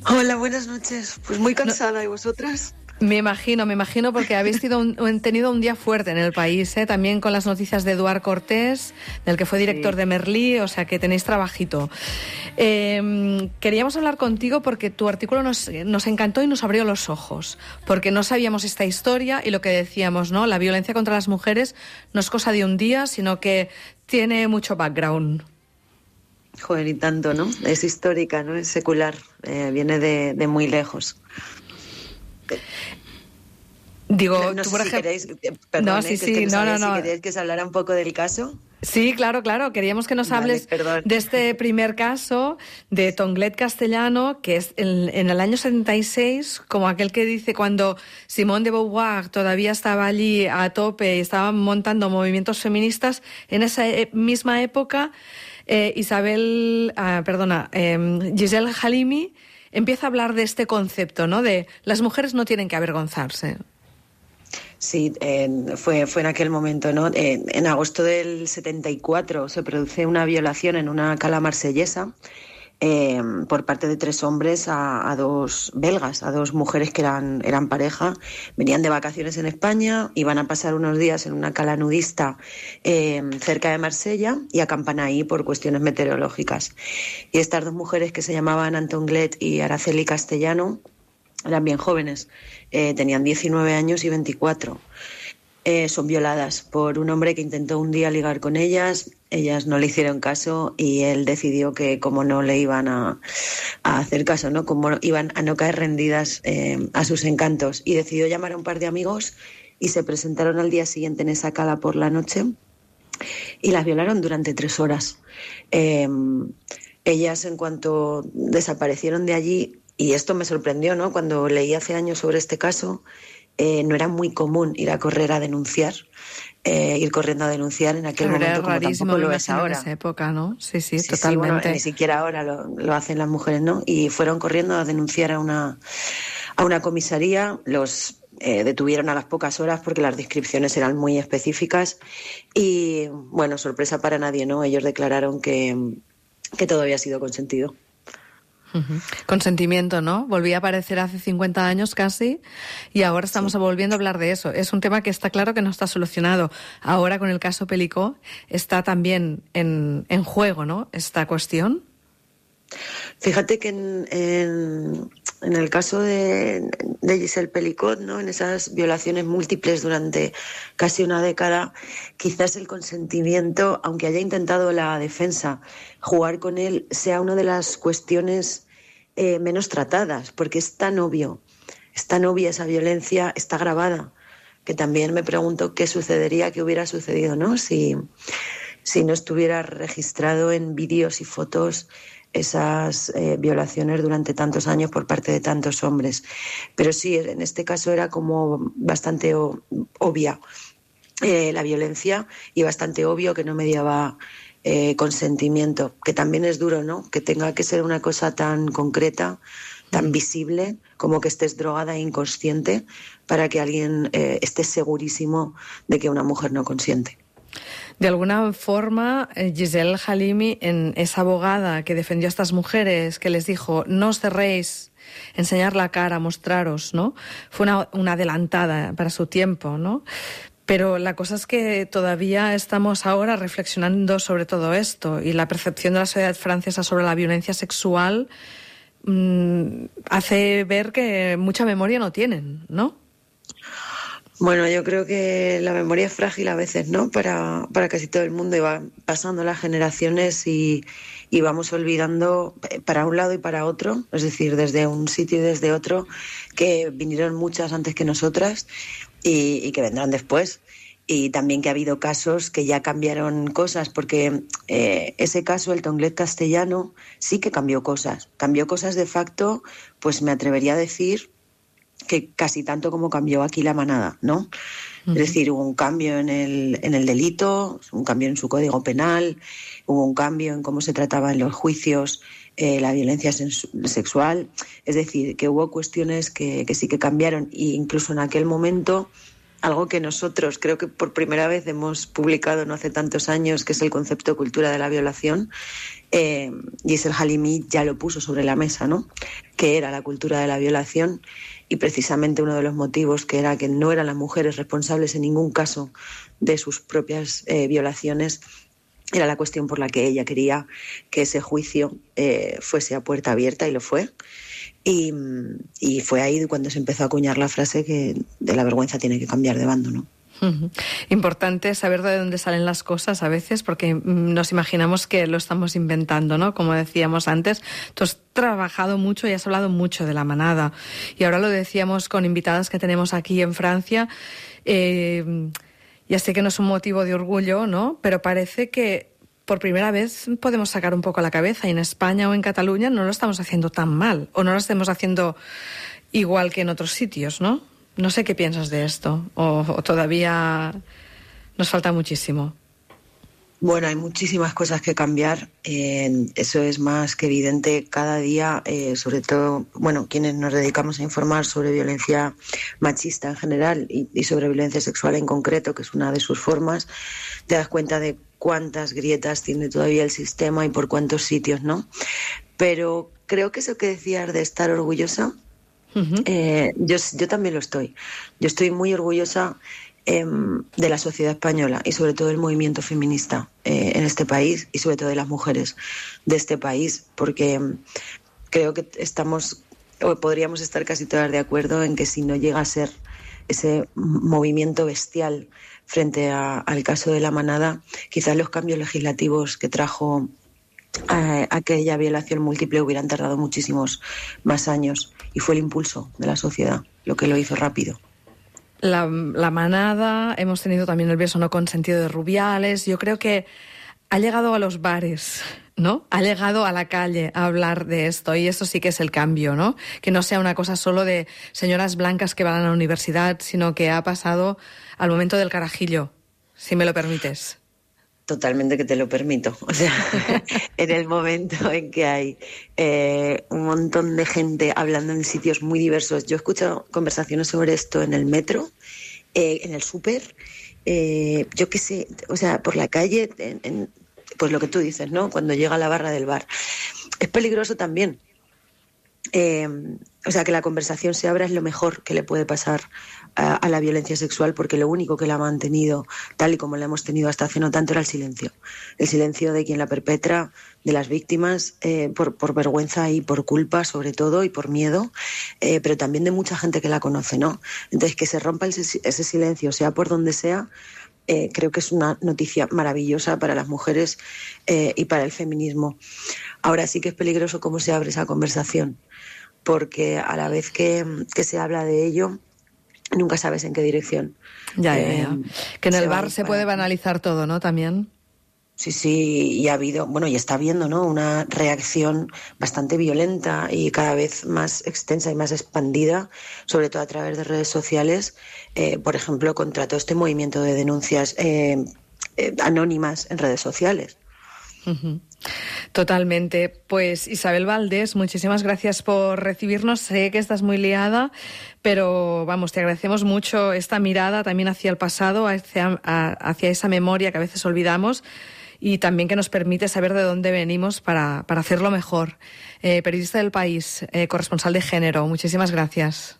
Hola, buenas noches. Pues muy cansada, ¿y vosotras?
Me imagino, me imagino, porque habéis tenido un, tenido un día fuerte en el país, ¿eh? También con las noticias de Eduard Cortés, del que fue director sí. de Merlí, o sea que tenéis trabajito. Eh, queríamos hablar contigo porque tu artículo nos, nos encantó y nos abrió los ojos, porque no sabíamos esta historia y lo que decíamos, ¿no? La violencia contra las mujeres no es cosa de un día, sino que tiene mucho background.
Joder, y tanto, ¿no? Es histórica, ¿no? Es secular, eh, viene de, de muy lejos.
Digo,
no
tú
sé
por
si
ejemplo...
queréis, perdón,
no, sí,
eh,
sí,
que no,
no,
no,
no,
si queréis que os hablara un poco del caso.
Sí, claro, claro. Queríamos que nos
vale,
hables
perdón.
de este primer caso de Tonglet Castellano, que es en, en el año setenta y seis, como aquel que dice cuando Simone de Beauvoir todavía estaba allí a tope y estaba montando movimientos feministas. En esa e- misma época, eh, Isabel, ah, perdona, eh, Giselle Halimi empieza a hablar de este concepto, ¿no? De las mujeres no tienen que avergonzarse.
Sí, eh, fue, fue en aquel momento, ¿no? Eh, en agosto del setenta y cuatro se produce una violación en una cala marsellesa eh, por parte de tres hombres a, a dos belgas, a dos mujeres que eran, eran pareja, venían de vacaciones en España, iban a pasar unos días en una cala nudista eh, cerca de Marsella y acampan ahí por cuestiones meteorológicas. Y estas dos mujeres, que se llamaban Antonglet y Araceli Castellano, eran bien jóvenes, eh, tenían diecinueve años y veinticuatro. Eh, son violadas por un hombre que intentó un día ligar con ellas, ellas no le hicieron caso y él decidió que como no le iban a, a hacer caso, ¿no? Como iban a no caer rendidas eh, a sus encantos, y decidió llamar a un par de amigos y se presentaron al día siguiente en esa cala por la noche y las violaron durante tres horas. Eh, ellas, en cuanto desaparecieron de allí, y esto me sorprendió, ¿no? Cuando leí hace años sobre este caso, eh, no era muy común ir a correr a denunciar, eh, ir corriendo a denunciar en aquel
Pero
momento, como
rarísimo,
tampoco lo es ahora.
En esa época, ¿no? Sí, sí,
sí
totalmente.
Sí, bueno, ni siquiera ahora lo, lo hacen las mujeres, ¿no? Y fueron corriendo a denunciar a una, a una comisaría, los eh, detuvieron a las pocas horas porque las descripciones eran muy específicas y, bueno, sorpresa para nadie, ¿no? Ellos declararon que, que todo había sido consentido.
Uh-huh. Consentimiento, ¿no? Volvía a aparecer hace cincuenta años casi y ahora estamos sí. volviendo a hablar de eso. Es un tema que está claro que no está solucionado. Ahora con el caso Pelicó está también en, en juego, ¿no? Esta cuestión.
Fíjate que en, en, en el caso de, de Giselle Pelicot, ¿no? En esas violaciones múltiples durante casi una década, quizás el consentimiento, aunque haya intentado la defensa jugar con él, sea una de las cuestiones eh, menos tratadas, porque es tan obvio, es tan obvia esa violencia, está grabada, que también me pregunto qué sucedería, qué hubiera sucedido, ¿no? Si, si no estuviera registrado en vídeos y fotos esas eh, violaciones durante tantos años por parte de tantos hombres. Pero sí, en este caso era como bastante o, obvia eh, la violencia y bastante obvio que no mediaba eh, consentimiento, que también es duro, ¿no? Que tenga que ser una cosa tan concreta, tan visible, como que estés drogada e inconsciente, para que alguien eh, esté segurísimo de que una mujer no consiente.
De alguna forma, Giselle Halimi, en esa abogada que defendió a estas mujeres, que les dijo, no os cerréis, enseñar la cara, mostraros, ¿no? Fue una, una adelantada para su tiempo, ¿no? Pero la cosa es que todavía estamos ahora reflexionando sobre todo esto, y la percepción de la sociedad francesa sobre la violencia sexual mmm, hace ver que mucha memoria no tienen, ¿no?
Bueno, yo creo que la memoria es frágil a veces, ¿no? Para, para casi todo el mundo, y va pasando las generaciones y, y vamos olvidando para un lado y para otro, es decir, desde un sitio y desde otro, que vinieron muchas antes que nosotras y, y que vendrán después. Y también que ha habido casos que ya cambiaron cosas, porque eh, ese caso, el Tonglet castellano, sí que cambió cosas. Cambió cosas de facto, pues me atrevería a decir que casi tanto como cambió aquí la manada, ¿no? Uh-huh. Es decir, hubo un cambio en el, en el delito, un cambio en su código penal, hubo un cambio en cómo se trataba en los juicios eh, la violencia sensu- sexual. Es decir, que hubo cuestiones que, que sí que cambiaron, e incluso en aquel momento, algo que nosotros creo que por primera vez hemos publicado no hace tantos años, que es el concepto de cultura de la violación, eh, Giselle Halimi ya lo puso sobre la mesa, ¿no? Que era la cultura de la violación, y precisamente uno de los motivos, que era que no eran las mujeres responsables en ningún caso de sus propias eh, violaciones, era la cuestión por la que ella quería que ese juicio eh, fuese a puerta abierta, y lo fue. Y, y fue ahí cuando se empezó a acuñar la frase que de la vergüenza tiene que cambiar de bando, ¿no?
Uh-huh. Importante saber de dónde salen las cosas a veces, porque nos imaginamos que lo estamos inventando, ¿no? Como decíamos antes, tú has trabajado mucho y has hablado mucho de la manada, y ahora lo decíamos con invitadas que tenemos aquí en Francia. Eh, ya sé que no es un motivo de orgullo, ¿no? Pero parece que por primera vez podemos sacar un poco la cabeza, y en España o en Cataluña no lo estamos haciendo tan mal, o no lo estamos haciendo igual que en otros sitios, ¿no? No sé qué piensas de esto, o, o todavía nos falta muchísimo.
Bueno, hay muchísimas cosas que cambiar, eh, eso es más que evidente cada día, eh, sobre todo, bueno, quienes nos dedicamos a informar sobre violencia machista en general y, y sobre violencia sexual en concreto, que es una de sus formas, te das cuenta de cuántas grietas tiene todavía el sistema y por cuántos sitios, ¿no? Pero creo que eso que decías de estar orgullosa, uh-huh. eh, yo, yo también lo estoy. Yo estoy muy orgullosa eh, de la sociedad española y sobre todo del movimiento feminista eh, en este país, y sobre todo de las mujeres de este país, porque creo que estamos, o podríamos estar casi todas de acuerdo en que si no llega a ser ese movimiento bestial frente a, al caso de la manada, quizás los cambios legislativos que trajo eh, aquella violación múltiple hubieran tardado muchísimos más años, y fue el impulso de la sociedad lo que lo hizo rápido.
La, la manada, hemos tenido también el beso no consentido de Rubiales. Yo creo que ha llegado a los bares, ¿no? Ha llegado a la calle a hablar de esto, y eso sí que es el cambio, ¿no? Que no sea una cosa solo de señoras blancas que van a la universidad, sino que ha pasado al momento del carajillo, si me lo permites.
Totalmente que te lo permito. O sea, en el momento en que hay eh, un montón de gente hablando en sitios muy diversos. Yo he escuchado conversaciones sobre esto en el metro, eh, en el súper, eh, yo qué sé, o sea, por la calle, en, en, pues lo que tú dices, ¿no? Cuando llega a la barra del bar. Es peligroso también. Eh, o sea, que la conversación se abra es lo mejor que le puede pasar a, a la violencia sexual, porque lo único que la ha mantenido tal y como la hemos tenido hasta hace no tanto era el silencio. El silencio de quien la perpetra, de las víctimas, eh, por, por vergüenza y por culpa sobre todo y por miedo, eh, pero también de mucha gente que la conoce, ¿no? Entonces, que se rompa ese, ese silencio, sea por donde sea, eh, creo que es una noticia maravillosa para las mujeres eh, y para el feminismo. Ahora sí que es peligroso cómo se abre esa conversación, porque a la vez que, que se habla de ello, nunca sabes en qué dirección.
Ya, ya,
eh,
ya. Que en el bar se puede banalizar todo, ¿no? También.
Sí, sí, y ha habido, bueno, y está habiendo, ¿no?, una reacción bastante violenta y cada vez más extensa y más expandida, sobre todo a través de redes sociales, eh, por ejemplo, contra todo este movimiento de denuncias eh, eh, anónimas en redes sociales.
Uh-huh. Totalmente. Pues Isabel Valdés, muchísimas gracias por recibirnos. Sé que estás muy liada, pero vamos, te agradecemos mucho esta mirada también hacia el pasado, hacia, a, hacia esa memoria que a veces olvidamos y también que nos permite saber de dónde venimos para, para hacerlo mejor. Eh, periodista del País, eh, corresponsal de género, muchísimas gracias.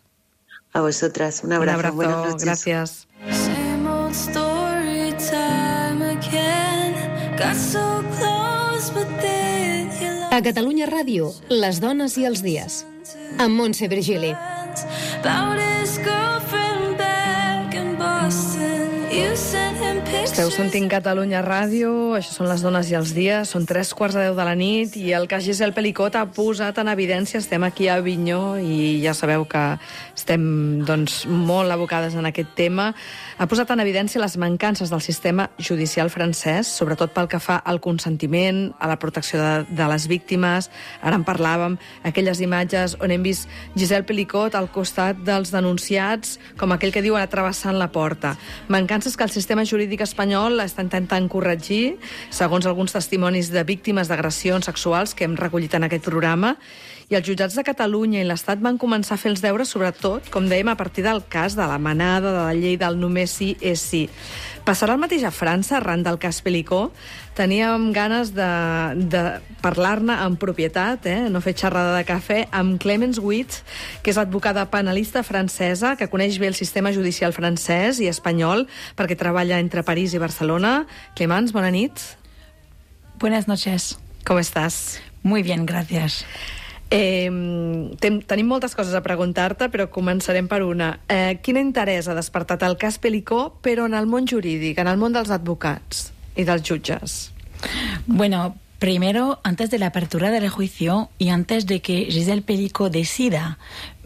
A vosotras, un abrazo.
Un abrazo,
buenas noches.
Gracias.
Same old story time again. Got so close, but then you left.
A Catalunya Ràdio, les dones i els dies. Amb Montse Virgili.
About his girlfriend back in Boston. You sent him pictures.
Esteu sentint Catalunya Ràdio, això són les dones i els dies, són tres quarts de deu de la nit i el cas Giselle Pelicot ha posat en evidència, estem aquí a Avinyó i ja sabeu que estem doncs, molt abocades en aquest tema, ha posat en evidència les mancances del sistema judicial francès, sobretot pel que fa al consentiment, a la protecció de, de les víctimes. Ara en parlàvem, aquelles imatges on hem vist Giselle Pelicot al costat dels denunciats, com aquell que diuen travessant la porta. Mancances que el sistema jurídic espanyol està intentant corregir, segons alguns testimonis de víctimes d'agressions sexuals que hem recollit en aquest programa, i els jutjats de Catalunya i l'Estat van començar a fer els deures, sobretot, com dèiem, a partir del cas de la manada, de la llei del només sí és sí. Passarà el mateix a França, arran del cas Pelicot. Teníem ganes de, de parlar-ne en propietat, eh? no fer xerrada de cafè, amb Clemence Witt, que és advocada penalista francesa, que coneix bé el sistema judicial francès i espanyol, perquè treballa entre París i Barcelona. Clemence, bona nit.
Buenas noches.
¿Cómo estás?
Muy bien, gracias.
Eh, ten, tenim moltes coses a preguntar-te, però començarem per una. Eh, quin interès ha despertat el cas Pelicot, però en el món jurídic, en el món dels advocats y dels jutges?
Bueno, primero, antes de la apertura del juicio y antes de que Giselle Pelicot decida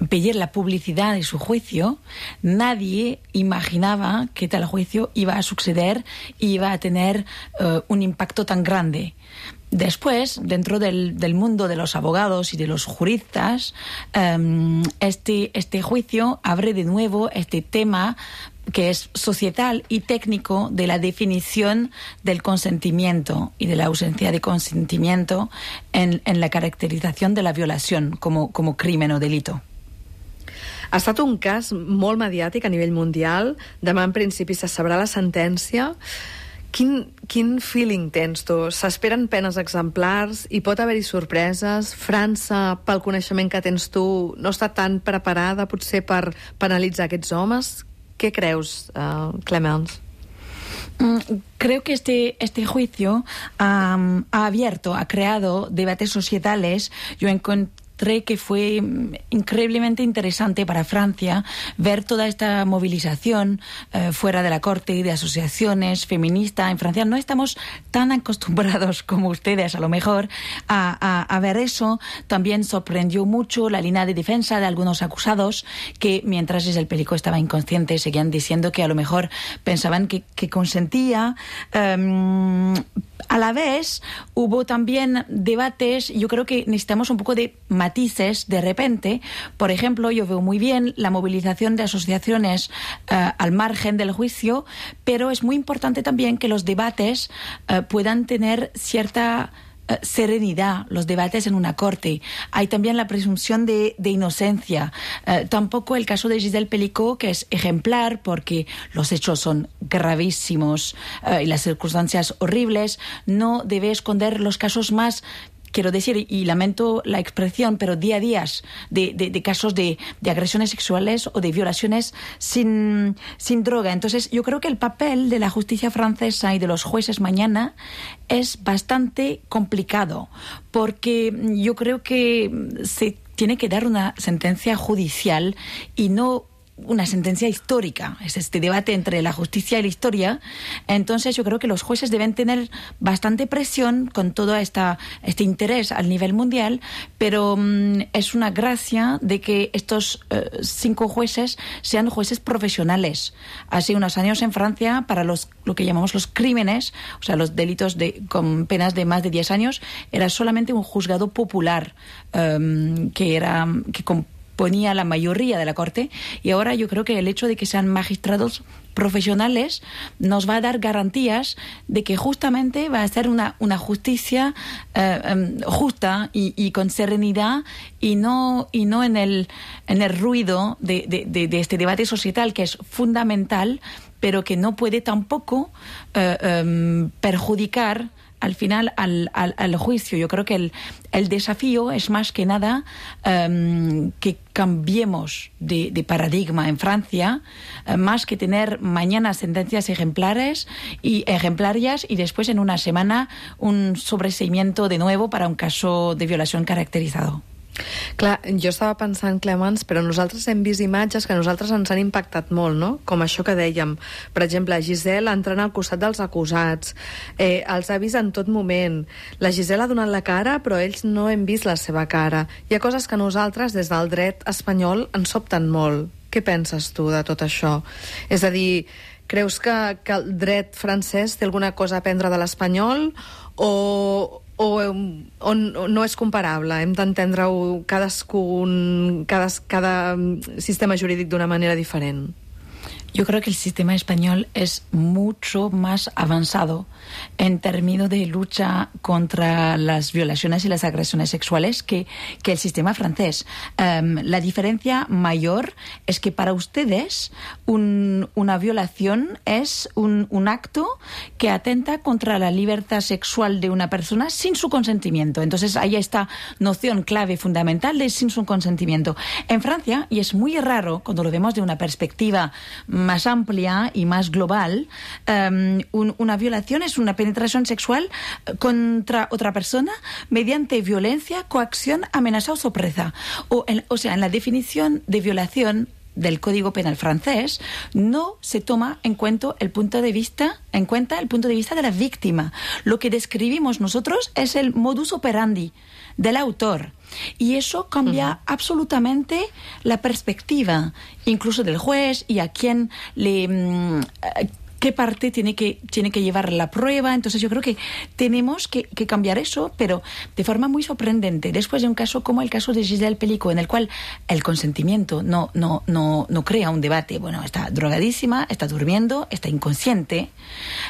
pedir la publicidad de su juicio, nadie imaginaba que tal juicio iba a suceder y iba a tener uh, un impacto tan grande. Después, dentro del, del mundo de los abogados y de los juristas, um, este, este juicio abre de nuevo este tema que es societal y técnico de la definición del consentimiento y de la ausencia de consentimiento en, en la caracterización de la violación como, como crimen o delito.
Ha estat un cas molt mediàtic a nivell mundial. Demà, en principi, se sabrà la sentència. Quin, quin feeling tens tu? S'esperen penes exemplars? Hi pot haver-hi sorpreses? França, pel coneixement que tens tu, no està tan preparada potser per penalitzar aquests homes? ¿Qué creus, uh, Clemence?
Creo que este, este juicio um, ha abierto, ha creado debates societales. Yo encontré que fue increíblemente interesante para Francia ver toda esta movilización eh, fuera de la corte y de asociaciones feministas. En Francia no estamos tan acostumbrados como ustedes, a lo mejor, a, a, a ver eso. También sorprendió mucho la línea de defensa de algunos acusados que, mientras Giselle Pelicot estaba inconsciente, seguían diciendo que a lo mejor pensaban que, que consentía. Um, a la vez, hubo también debates. Yo creo que necesitamos un poco de matices de repente. Por ejemplo, yo veo muy bien la movilización de asociaciones uh, al margen del juicio, pero es muy importante también que los debates uh, puedan tener cierta uh, serenidad, los debates en una corte. Hay también la presunción de, de inocencia. Uh, tampoco el caso de Giselle Pelicot, que es ejemplar porque los hechos son gravísimos uh, y las circunstancias horribles, no debe esconder los casos más quiero decir, y lamento la expresión, pero día a día de, de, de casos de, de agresiones sexuales o de violaciones sin, sin droga. Entonces, yo creo que el papel de la justicia francesa y de los jueces mañana es bastante complicado, porque yo creo que se tiene que dar una sentencia judicial y no una sentencia histórica. Es este debate entre la justicia y la historia. Entonces yo creo que los jueces deben tener bastante presión con todo esta, este interés al nivel mundial, pero um, es una gracia de que estos uh, cinco jueces sean jueces profesionales. Hace unos años en Francia, para los lo que llamamos los crímenes, o sea, los delitos de, con penas de más de diez años, era solamente un juzgado popular um, que era que con ponía la mayoría de la Corte, y ahora yo creo que el hecho de que sean magistrados profesionales nos va a dar garantías de que justamente va a ser una, una justicia eh, um, justa y, y con serenidad, y no, y no en el, en el ruido de, de, de, de este debate societal que es fundamental, pero que no puede tampoco eh, um, perjudicar al final al, al, al juicio. Yo creo que el, el desafío es más que nada um, que cambiemos de, de paradigma en Francia, uh, más que tener mañana sentencias ejemplares y ejemplarias y después en una semana un sobreseimiento de nuevo para un caso de violación caracterizado.
Clar, jo estava pensant, Clemens, però nosaltres hem vist imatges que a nosaltres ens han impactat molt, no? Com això que dèiem. Per exemple, Giselle entrant al costat dels acusats, eh, els ha vist en tot moment. La Giselle ha donat la cara, però ells no hem vist la seva cara. Hi ha coses que nosaltres, des del dret espanyol, ens sobten molt. Què penses tu de tot això? És a dir, creus que, que el dret francès té alguna cosa a aprendre de l'espanyol o... o, o no és comparable? Hem d'entendre-ho cadascun, cada, cada sistema jurídic d'una manera diferent?
Yo creo que el sistema español es mucho más avanzado en términos de lucha contra las violaciones y las agresiones sexuales que, que el sistema francés. Um, la diferencia mayor es que para ustedes un, una violación es un, un acto que atenta contra la libertad sexual de una persona sin su consentimiento. Entonces hay esta noción clave fundamental de sin su consentimiento. En Francia, y es muy raro cuando lo vemos de una perspectiva más amplia y más global, um, un, una violación es una penetración sexual contra otra persona mediante violencia, coacción, amenaza o sorpresa. O, en, o sea, en la definición de violación del Código Penal francés no se toma en cuenta el punto de vista en cuenta el punto de vista de la víctima. Lo que describimos nosotros es el modus operandi del autor. Y eso cambia uh-huh. absolutamente la perspectiva, incluso del juez y a quién le... Mmm, qué parte tiene que, tiene que llevar la prueba. Entonces yo creo que tenemos que, que cambiar eso, pero de forma muy sorprendente. Después de un caso como el caso de Giselle Pelicot, en el cual el consentimiento no, no, no, no crea un debate. Bueno, está drogadísima, está durmiendo, está inconsciente.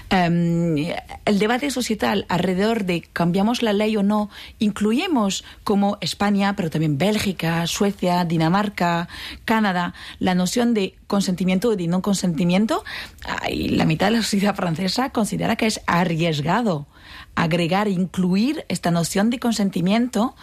Um, el debate societal alrededor de cambiamos la ley o no, incluimos como España, pero también Bélgica, Suecia, Dinamarca, Canadá, la noción de consentimiento o de no consentimiento. Ay, la mitad de la sociedad francesa considera que es arriesgado agregar, incluir esta noción de consentimiento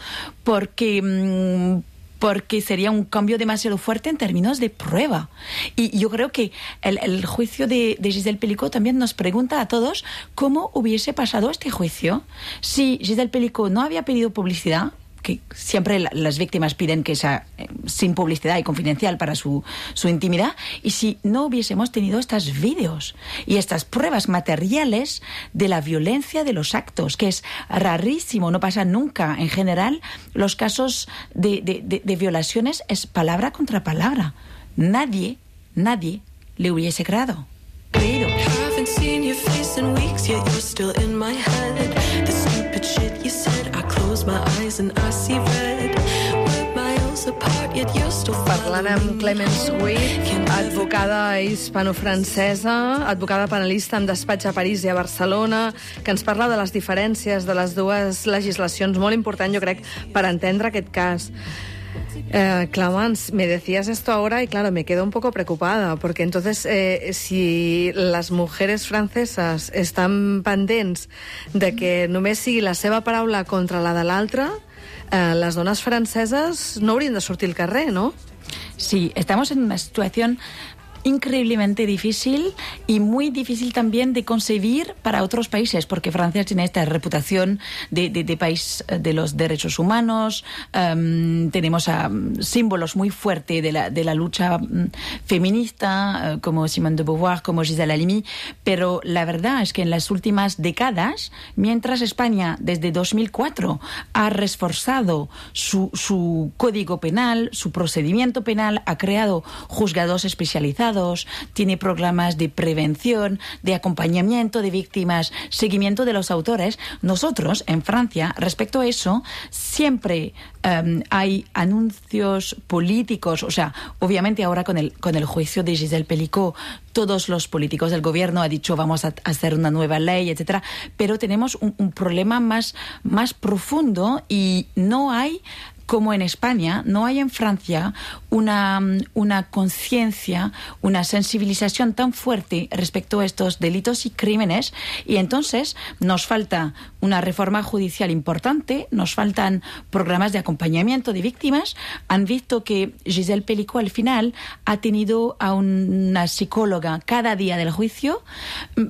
porque, mmm, porque sería un cambio demasiado fuerte en términos de prueba. Y yo creo que el, el juicio de, de Giselle Pelicot también nos pregunta a todos cómo hubiese pasado este juicio si Giselle Pelicot no había pedido publicidad, que siempre la, las víctimas piden que sea eh, sin publicidad y confidencial para su, su intimidad, y si no hubiésemos tenido estos vídeos y estas pruebas materiales de la violencia de los actos, que es rarísimo, no pasa nunca. En general, los casos de, de, de, de violaciones es palabra contra palabra. Nadie, nadie le hubiese creado. Creído.
Parlant amb Clemence Witt, advocada hispano-francesa, advocada penalista amb despatx a París i a Barcelona, que ens parla de les diferències de les dues legislacions, molt important, jo crec, per entendre aquest cas. Eh, Clemens, me decías esto ahora y claro, me quedo un poco preocupada, porque entonces eh, si les mujeres franceses estan pendents de que només sigui la seva paraula contra la de l'altra, eh, les dones franceses no haurien de sortir al carrer, ¿no?
Sí, estamos en una situación increíblemente difícil y muy difícil también de concebir para otros países, porque Francia tiene esta reputación de, de, de país de los derechos humanos, um, tenemos um, símbolos muy fuertes de la, de la lucha um, feminista, uh, como Simone de Beauvoir, como Gisèle Halimi, pero la verdad es que en las últimas décadas, mientras España desde dos mil cuatro ha reforzado su, su código penal, su procedimiento penal, ha creado juzgados especializados, tiene programas de prevención, de acompañamiento de víctimas, seguimiento de los autores. Nosotros, en Francia, respecto a eso, siempre um, hay anuncios políticos, o sea, obviamente ahora con el, con el juicio de Gisèle Pelicot, todos los políticos del gobierno han dicho vamos a hacer una nueva ley, etcétera, pero tenemos un, un problema más, más profundo y no hay, como en España, no hay en Francia una, una conciencia, una sensibilización tan fuerte respecto a estos delitos y crímenes, y entonces nos falta una reforma judicial importante, nos faltan programas de acompañamiento de víctimas. Han visto que Gisèle Pelicot al final ha tenido a una psicóloga cada día del juicio,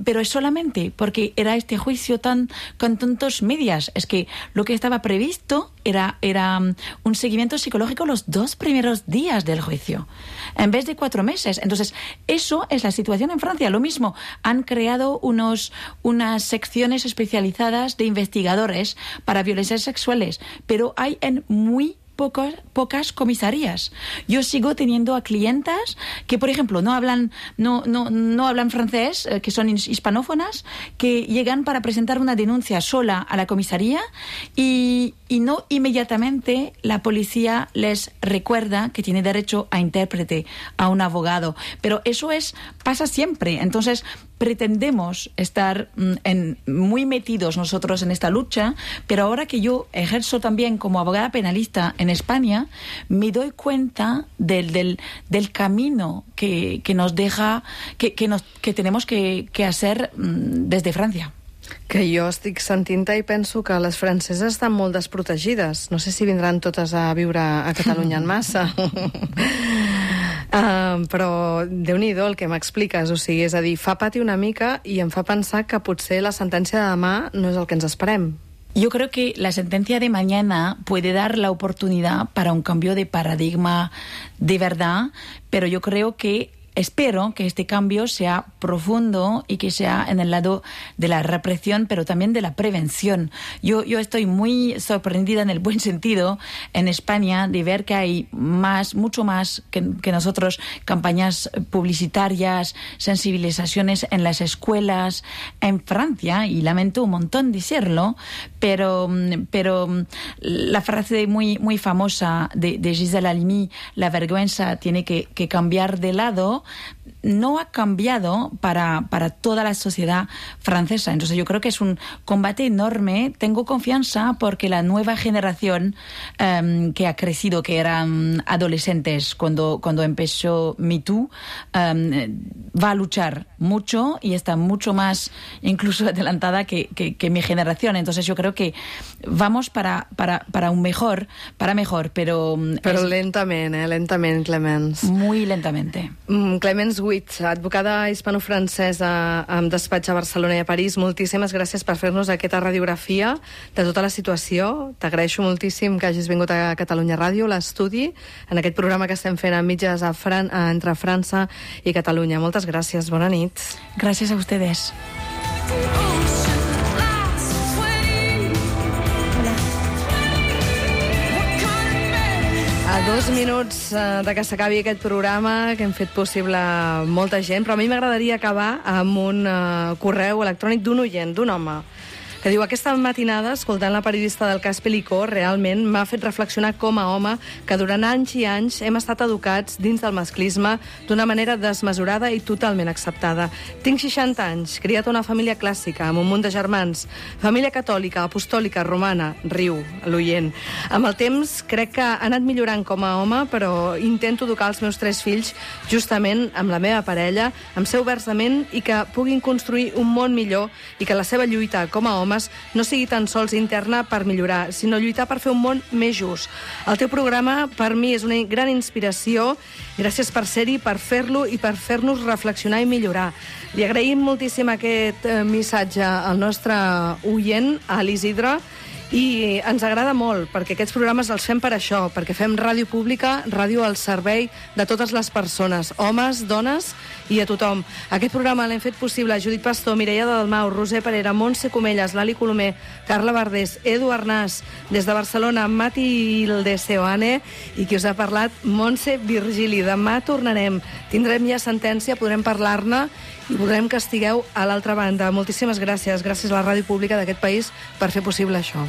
pero es solamente porque era este juicio tan con tantos medias. Es que lo que estaba previsto era, era un seguimiento psicológico los dos primeros días del juicio, en vez de cuatro meses. Entonces, eso es la situación en Francia. Lo mismo, han creado unos, unas secciones especializadas de investigadores para violencias sexuales, pero hay en muy Pocos, pocas comisarías. Yo sigo teniendo a clientas que, por ejemplo, no hablan, no, no, no hablan francés, eh, que son hispanófonas, que llegan para presentar una denuncia sola a la comisaría y, y no inmediatamente la policía les recuerda que tiene derecho a intérprete, a un abogado. Pero eso es pasa siempre. Entonces, pretendemos estar en, muy metidos nosotros en esta lucha, pero ahora que yo ejerzo también como abogada penalista en España, me doy cuenta del, del, del camino que, que nos deja, que, que, nos, que tenemos que, que hacer desde Francia.
Que jo estic sentint i penso que les franceses estan molt desprotegides. No sé si vindran totes a viure a Catalunya en massa. Uh, però Déu-n'hi-do el que m'expliques, o sigui, és a dir, fa pati una mica i em fa pensar que potser la sentència de demà no és el que ens esperem.
Yo creo que la sentencia de mañana puede dar la oportunidad para un cambio de paradigma de verdad, pero yo creo que espero que este cambio sea profundo y que sea en el lado de la represión, pero también de la prevención. Yo, yo estoy muy sorprendida en el buen sentido en España de ver que hay más, mucho más que, que nosotros, campañas publicitarias, sensibilizaciones en las escuelas, en Francia, y lamento un montón decirlo, pero, pero la frase muy, muy famosa de, de Gisèle Halimi, la vergüenza tiene que, que cambiar de lado, no ha cambiado para, para toda la sociedad francesa. Entonces yo creo que es un combate enorme. Tengo confianza porque la nueva generación um, que ha crecido, que eran adolescentes cuando, cuando empezó Me Too, um, va a luchar mucho y está mucho más incluso adelantada que, que, que mi generación. Entonces yo creo que vamos para, para, para un mejor, para mejor, pero...
Però es... lentament, eh? Lentament, Clemens.
Muy lentamente.
Mm, Clemens Witt, advocada hispano-francesa amb despatx a Barcelona i a París, moltíssimes gràcies per fer-nos aquesta radiografia de tota la situació. T'agraeixo moltíssim que hagis vingut a Catalunya Ràdio, l'estudi, en aquest programa que estem fent a mitges a Fran entre França i Catalunya. Moltes gràcies, bona nit.
Gràcies a ustedes.
A dos minuts de que s'acabi aquest programa, que hem fet possible molta gent, però a mi m'agradaria acabar amb un uh, correu electrònic d'un oient, d'un home. que diu: aquesta matinada, escoltant la periodista del cas Pelicó, realment m'ha fet reflexionar com a home que durant anys i anys hem estat educats dins del masclisme d'una manera desmesurada i totalment acceptada. Tinc seixanta anys, criat a una família clàssica, amb un munt de germans, família catòlica, apostòlica, romana, riu, l'oient. Amb el temps crec que ha anat millorant com a home, però intento educar els meus tres fills justament amb la meva parella, amb ser oberts de ment i que puguin construir un món millor i que la seva lluita com a homes no sigui tan sols interna per millorar, sinó lluitar per fer un món més just. El teu programa per mi és una gran inspiració. Gràcies per ser-hi, per fer-lo i per fer-nos reflexionar i millorar. Li agraïm moltíssim aquest eh, missatge al nostre oient, a l'Isidre, i ens agrada molt, perquè aquests programes els fem per això, perquè fem ràdio pública, ràdio al servei de totes les persones, homes, dones i a tothom. Aquest programa l'hem fet possible Judit Pastor, Mireia Dalmau, Roser Parera, Montse Comelles, Lali Colomer, Carla Verdés, Edu Arnàs, des de Barcelona, Mati Ildeseoane, i qui us ha parlat, Montse Virgili. Demà tornarem, tindrem ja sentència, podrem parlar-ne i voldrem que estigueu a l'altra banda. Moltíssimes gràcies, gràcies a la ràdio pública d'aquest país per fer possible això.